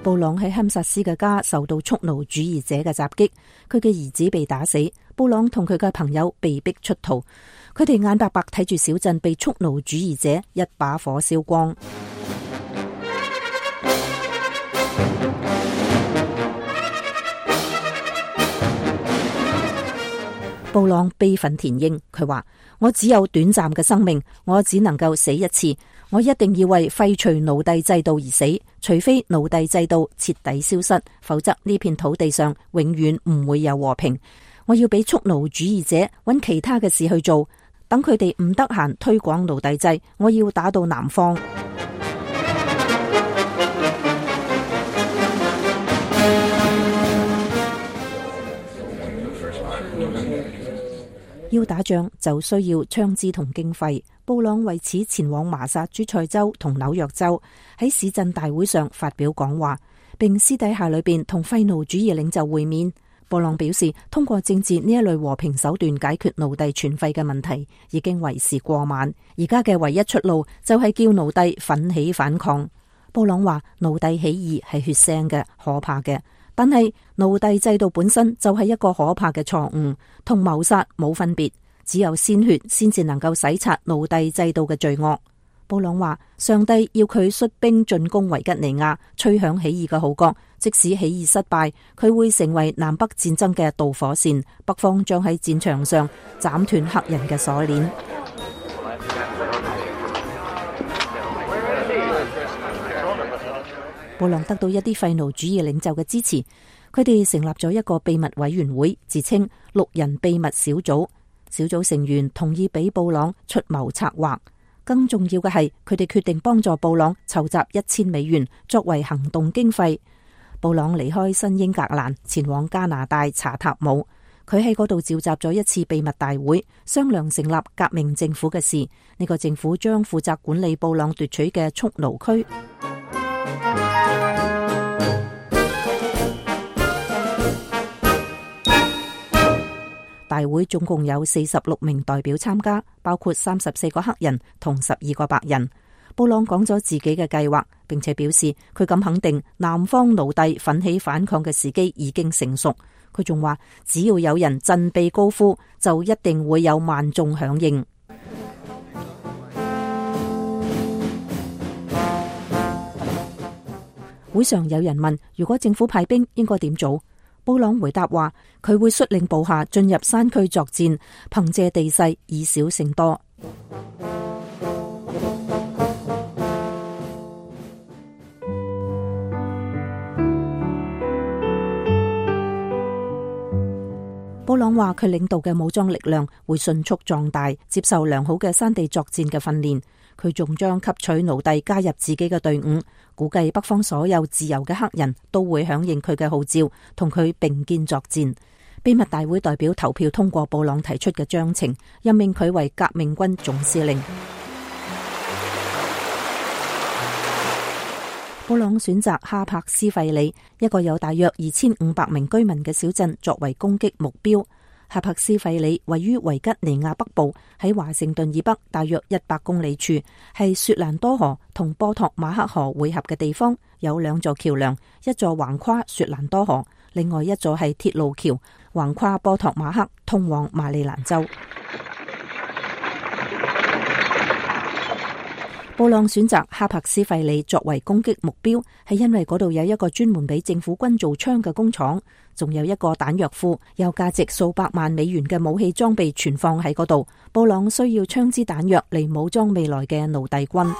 布朗喺堪薩斯嘅家受到蓄奴主義者嘅襲擊，佢嘅兒子被打死，布朗同佢嘅朋友被逼出逃，佢哋眼白白睇住小鎮被蓄奴主義者一把火燒光。布朗悲憤填膺，佢話：我只有短暫嘅生命，我只能夠死一次。我一定要為廢除奴隸制度而死，除非奴隸制度徹底消失，否則呢片土地上永遠唔會有和平。我要俾蓄奴主義者揾其他嘅事去做，等佢哋唔得閒推廣奴隸制，我要打到南方。要打仗就需要槍支同經費，布朗為此前往麻薩諸塞州同紐約州，喺市鎮大會上發表講話，並私底下裏邊同廢奴主義領袖會面。布朗表示，通過政治呢一類和平手段解決奴隸存廢嘅問題已經為時過晚，而家嘅唯一出路就係叫奴隸奮起反抗。布朗話，奴隸起義係血腥嘅、可怕嘅。但係奴隸制度本身就係一個可怕嘅錯誤，同謀殺冇分別，只有鮮血先至能夠洗刷奴隸制度嘅罪惡。布朗話，上帝要佢率兵進攻維吉尼亞，吹響起義嘅號角，即使起義失敗，佢會成為南北戰爭嘅導火線，北方將喺戰場上斬斷黑人嘅鎖鏈。布朗得到一啲廢奴主義領袖嘅支持，佢哋成立咗一個秘密委員會，自稱6人秘密小組。小組成員同意俾布朗出謀策劃，更重要嘅係，佢哋決定幫助布朗籌集$1000作為行動經費。布朗離開新英格蘭，前往加拿大查塔姆。佢喺嗰度召集咗一次秘密大會，商量成立革命政府嘅事。呢個政府將負責管理布朗奪取嘅蓄奴區。大會總共有46名代表參加，包括34個黑人同12個白人。布朗講咗自己嘅計劃，並且表示佢咁肯定南方奴隸奮起反抗嘅時機已經成熟。佢仲話，只要有人振臂高呼，就一定會有萬眾響應。會上有人問，如果政府派兵應該點做？布朗回答話，佢會率領部下進入山區作戰，憑借地勢以少勝多。布朗話，佢領導嘅武裝力量會迅速壯大，接受良好嘅山地作戰嘅訓練。佢仲將吸取奴隸加入自己嘅隊伍，估計北方所有自由嘅黑人都會響應佢嘅號召，同佢並肩作戰。秘密大會代表投票通過布朗提出嘅章程，任命佢為革命軍總司令。布朗選擇哈柏斯費里，一個有大約2500名居民嘅小鎮作為攻擊目標。哈柏斯費里位於維吉尼亞北部，喺華盛頓以北大約100公里處，係雪蘭多河同波托馬克河匯合嘅地方，有2座橋樑，一座橫跨雪蘭多河，另外一座係鐵路橋，橫跨波托馬克通往馬里蘭州。布朗選擇哈柏斯費里作為攻擊目標，係因為嗰度有一個專門俾政府軍做槍嘅工廠，仲有一個彈藥庫，有價值數百萬美元嘅武器裝備存放喺嗰度。布朗需要槍支彈藥嚟武裝未來嘅奴隸軍。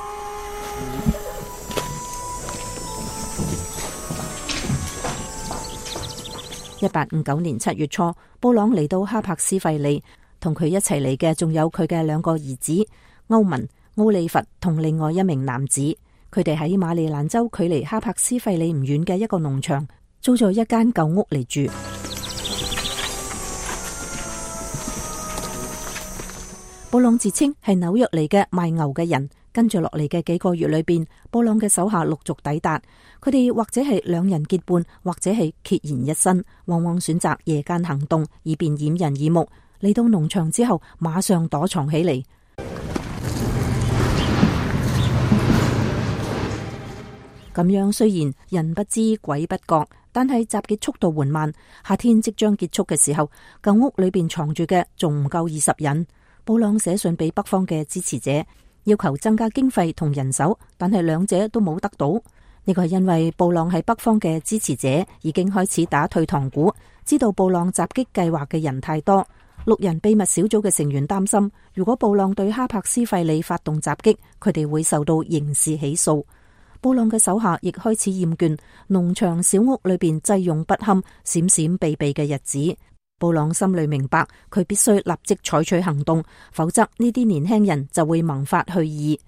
1859年7月初，布朗嚟到哈柏斯費里，同佢一齊嚟嘅仲有佢嘅2個兒子歐文、奧利弗同另外一名男子，佢哋喺馬里蘭州距離哈柏斯費里唔遠嘅一個農場租咗一間舊屋嚟住。布朗自稱係紐約嚟嘅賣牛嘅人，跟住落嚟嘅幾個月裏邊，布朗嘅手下陸續抵達，佢哋或者係2人結伴，或者係孑然一身，往往選擇夜間行動，以便掩人耳目。嚟到農場之後，馬上躲藏起嚟。咁樣雖然人不知鬼不覺，但係襲擊速度緩慢。夏天即將結束嘅時候，舊屋裏邊藏住嘅仲唔夠20人。布朗寫信俾北方嘅支持者，要求增加經費同人手，但係2者都冇得到。呢個係因為布朗喺北方嘅支持者已經開始打退堂鼓，知道布朗襲擊計劃嘅人太多。6人秘密小組嘅成員擔心，如果布朗對哈柏斯費里發動襲擊，佢哋會受到刑事起訴。布朗嘅手下亦開始厭倦農場小屋裏邊濟用不堪、閃閃避避嘅日子。布朗心裏明白，佢必須立即採取行動，否則呢啲年輕人就會萌發去意。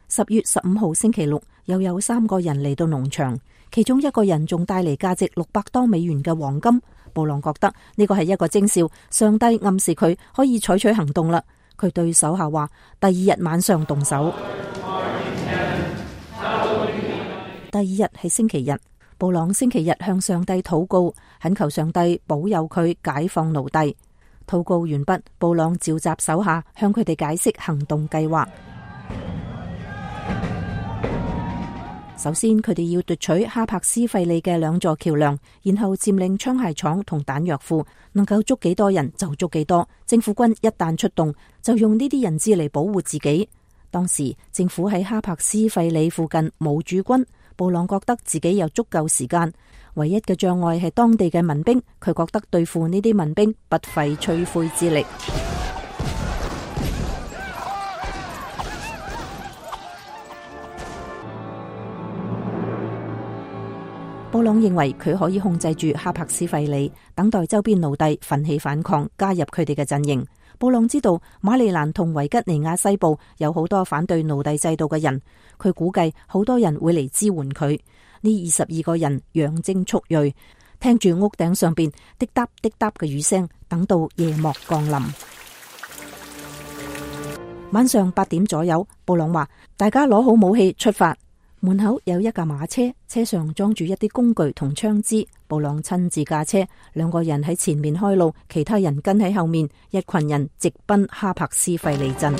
10月15號星期六，又有3個人嚟到農場，其中一個人仲帶嚟價值600多美元嘅黃金。布朗覺得呢個係一個徵兆，上帝暗示佢可以採取行動啦。佢對手下話：第2日晚上動手。第2日係星期日，布朗星期日向上帝禱告，懇求上帝保佑佢解放奴隸。禱告完畢，布朗召集手下向佢哋解釋行動計劃。首先，佢哋要奪取哈柏斯費里嘅2座橋樑，然後佔領槍械廠同彈藥庫，能夠捉幾多人就捉幾多。政府軍一旦出動，就用呢啲人質嚟保護自己。當時政府喺哈柏斯費里附近冇駐軍，布朗覺得自己有足夠時間，唯一嘅障礙係當地嘅民兵，佢覺得對付呢啲民兵不費吹灰之力。布朗認為佢可以控制住哈柏斯費里，等待周邊奴隸奮起反抗，加入佢哋嘅陣營。布朗知道馬里蘭同維吉尼亞西部有好多反對奴隸制度嘅人，佢估計好多人會嚟支援佢。呢22個人養精蓄銳，聽住屋頂上邊滴答滴答嘅雨聲，等到夜幕降臨。晚上8點左右，布朗話：大家攞好武器出發。門口有一架馬車，車上裝住一啲工具同槍支。布朗親自駕車，2個人喺前面開路，其他人跟喺後面。一群人直奔哈柏斯費里鎮。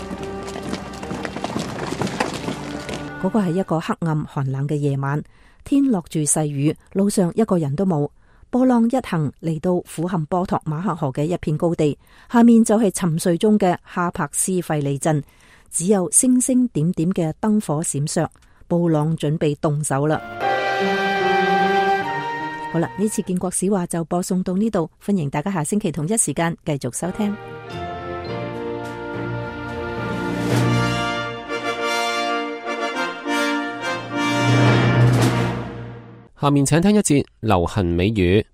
嗰個係一個黑暗寒冷嘅夜晚，天落住細雨，路上一個人都冇。布朗一行嚟到俯瞰波托馬克河嘅一片高地，下面就係沉睡中嘅哈柏斯費里鎮，只有星星點點嘅燈火閃爍。布朗準備動手啦。好啦，呢次建國史話就播送到呢度，歡迎大家下星期同一時間繼續收聽。下面請聽一節流行美語。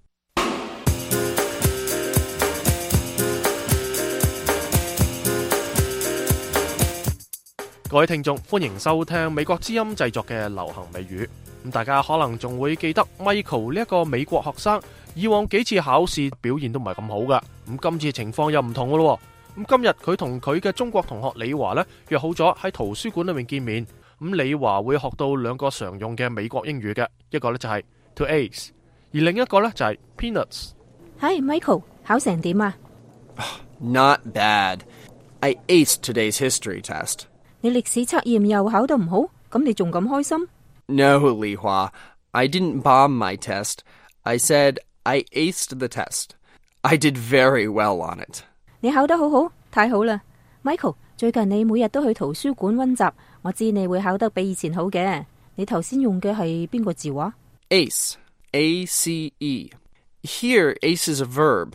各位聽眾，歡迎收聽美國之音製作嘅流行美語。咁大家可能仲會記得 Michael 呢一個美國學生，以往幾次考試表現都唔係咁好噶。咁今次情況又唔同噶咯。咁今日佢同佢嘅中國同學李華呢約好咗喺圖書館裏面見面。咁李華會學到2個常用嘅美國英語嘅，一個呢就係 to ace， 而另一個呢就係 peanuts。Hi Michael，考成點啊？ Not bad. I aced today's history test. 你歷史測驗又考得唔好，咁你仲咁開心？ No, Li Hua. I didn't bomb my test. I said I aced the test. I did very well on it. 你考得好好，太好啦 ！Michael， 最近你每日都去圖書館溫習，我知你會考得比以前好嘅。你頭先用嘅係邊個字話？ Ace. A-C-E. Here, ace is a verb,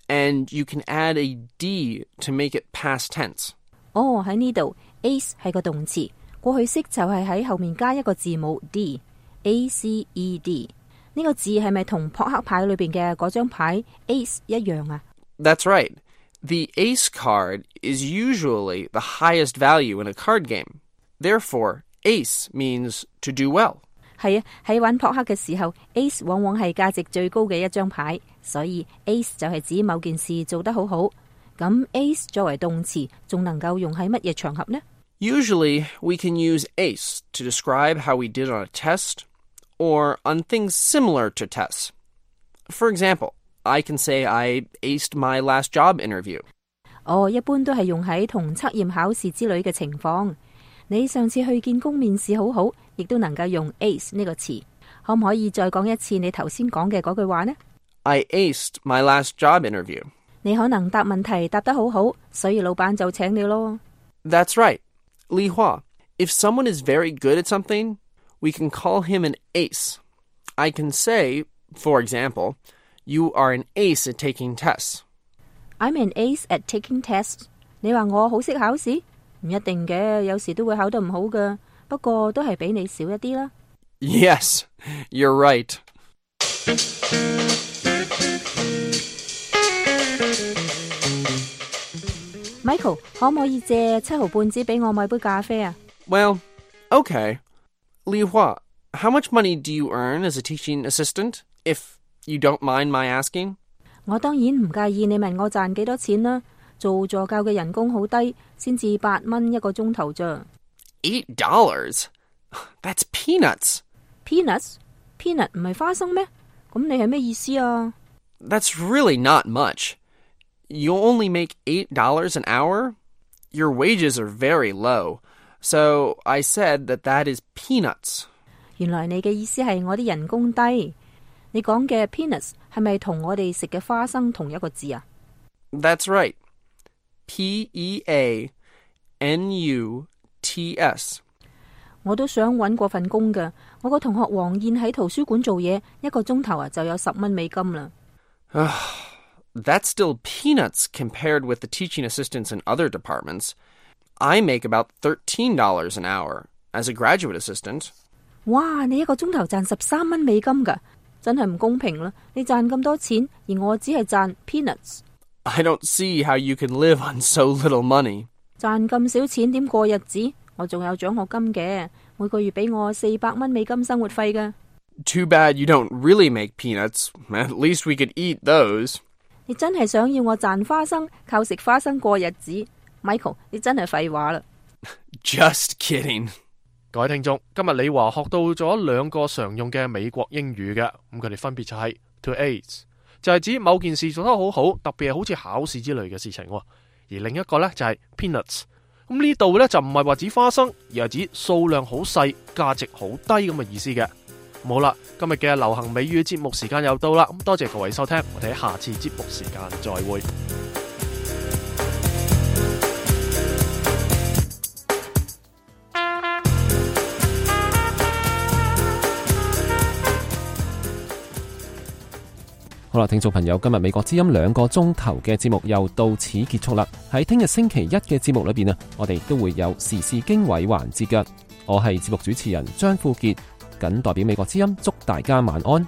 and you can add a D to make it past tense. 哦，喺呢度 ace 係個動詞，過去式就係喺後面加一個字母 D。A-C-E-D 呢個字係咪同撲克牌裏邊嘅嗰張牌 ace 一樣啊？ That's right. The ace card is usually the highest value in a card game. Therefore, ace means to do well. 係啊，喺玩撲克嘅時候 ，ace 往往係價值最高嘅一張牌，所以 ace 就係指某件事做得好好。咁 ace 作為動詞，仲能夠用喺乜嘢場合呢？ Usually, we can use ace to describe how we did on a test or on things similar to tests. For example, I can say I aced my last job interview. 哦，一般都係用喺同測驗考試之類嘅情況。你上次去見工面試好好，亦都能夠用 ace 呢個詞。可唔可以再講一次你頭先講嘅嗰句話呢？ I aced my last job interview. 你可能答問題答得好好，所以老闆就請你咯。 That's right. Li Hua, if someone is very good at something, we can call him an ace. I can say, for example, you are an ace at taking tests. I'm an ace at taking tests. 你話我好識考試？唔一定嘅，有時都會考得唔好㗎。不過都係比你少一啲啦。Yes, you're right. Michael， 可唔可以借7毫半紙俾我買杯咖啡啊？ Well, okay. Li Hua, how much money do you earn as a teaching assistant, if you don't mind my asking? 我當然唔介意你問我賺幾多錢啦。做助教嘅人工好低，先至8蚊一個鐘頭咋。$8? That's peanuts. Peanuts? Peanut 唔係花生咩？咁你係咩意思啊？ That's really not much. You only make $8 an hour? Your wages are very low. So I said that is peanuts. 原來你嘅意思係我啲人工低。你講嘅 peanuts 係咪同我哋食嘅花生同一個字啊？ That's right. P-E-A-N-U-T-S. 我都想搵過份工㗎。我個同學黃燕喺圖書館做嘢，一個鐘頭就有10蚊美金啦。That's still peanuts compared with the teaching assistants in other departments. I make about $13 an hour as a graduate assistant. 哇！你一個鐘頭賺13蚊美金㗎，真係唔公平啦！你賺咁多錢，而我只係賺 peanuts。I don't see how you can live on so little money. 賺咁少錢點過日子？我仲有獎學金嘅，每個月俾我400蚊美金生活費㗎。Too bad you don't really make peanuts. At least we could eat those. 你真係想要我賺花生，靠食花生過日子 ？Michael， 你真係廢話啦。Just kidding. 各位聽眾，今日李華學到咗2個常用嘅美國英語嘅，咁佢哋分別就係 to ace， 就係指某件事做得好好，特別係好似考試之類嘅事情，而另一個呢，就係 peanuts。咁呢度呢，就唔係話指花生，而係指數量好細、價值好低咁嘅意思嘅。好啦，今日嘅流行美語節目時間又到啦，咁多謝各位收聽，我哋喺下次節目時間再會。好啦，聽眾朋友，今日美國之音2個鐘頭嘅節目又到此結束啦。喺聽日星期一嘅節目裏邊啊，我哋都會有時事經緯環節嘅。我係節目主持人張富傑，謹代表美國之音祝大家晚安。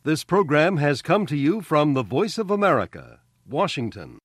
This program has come to you from the Voice of America, Washington.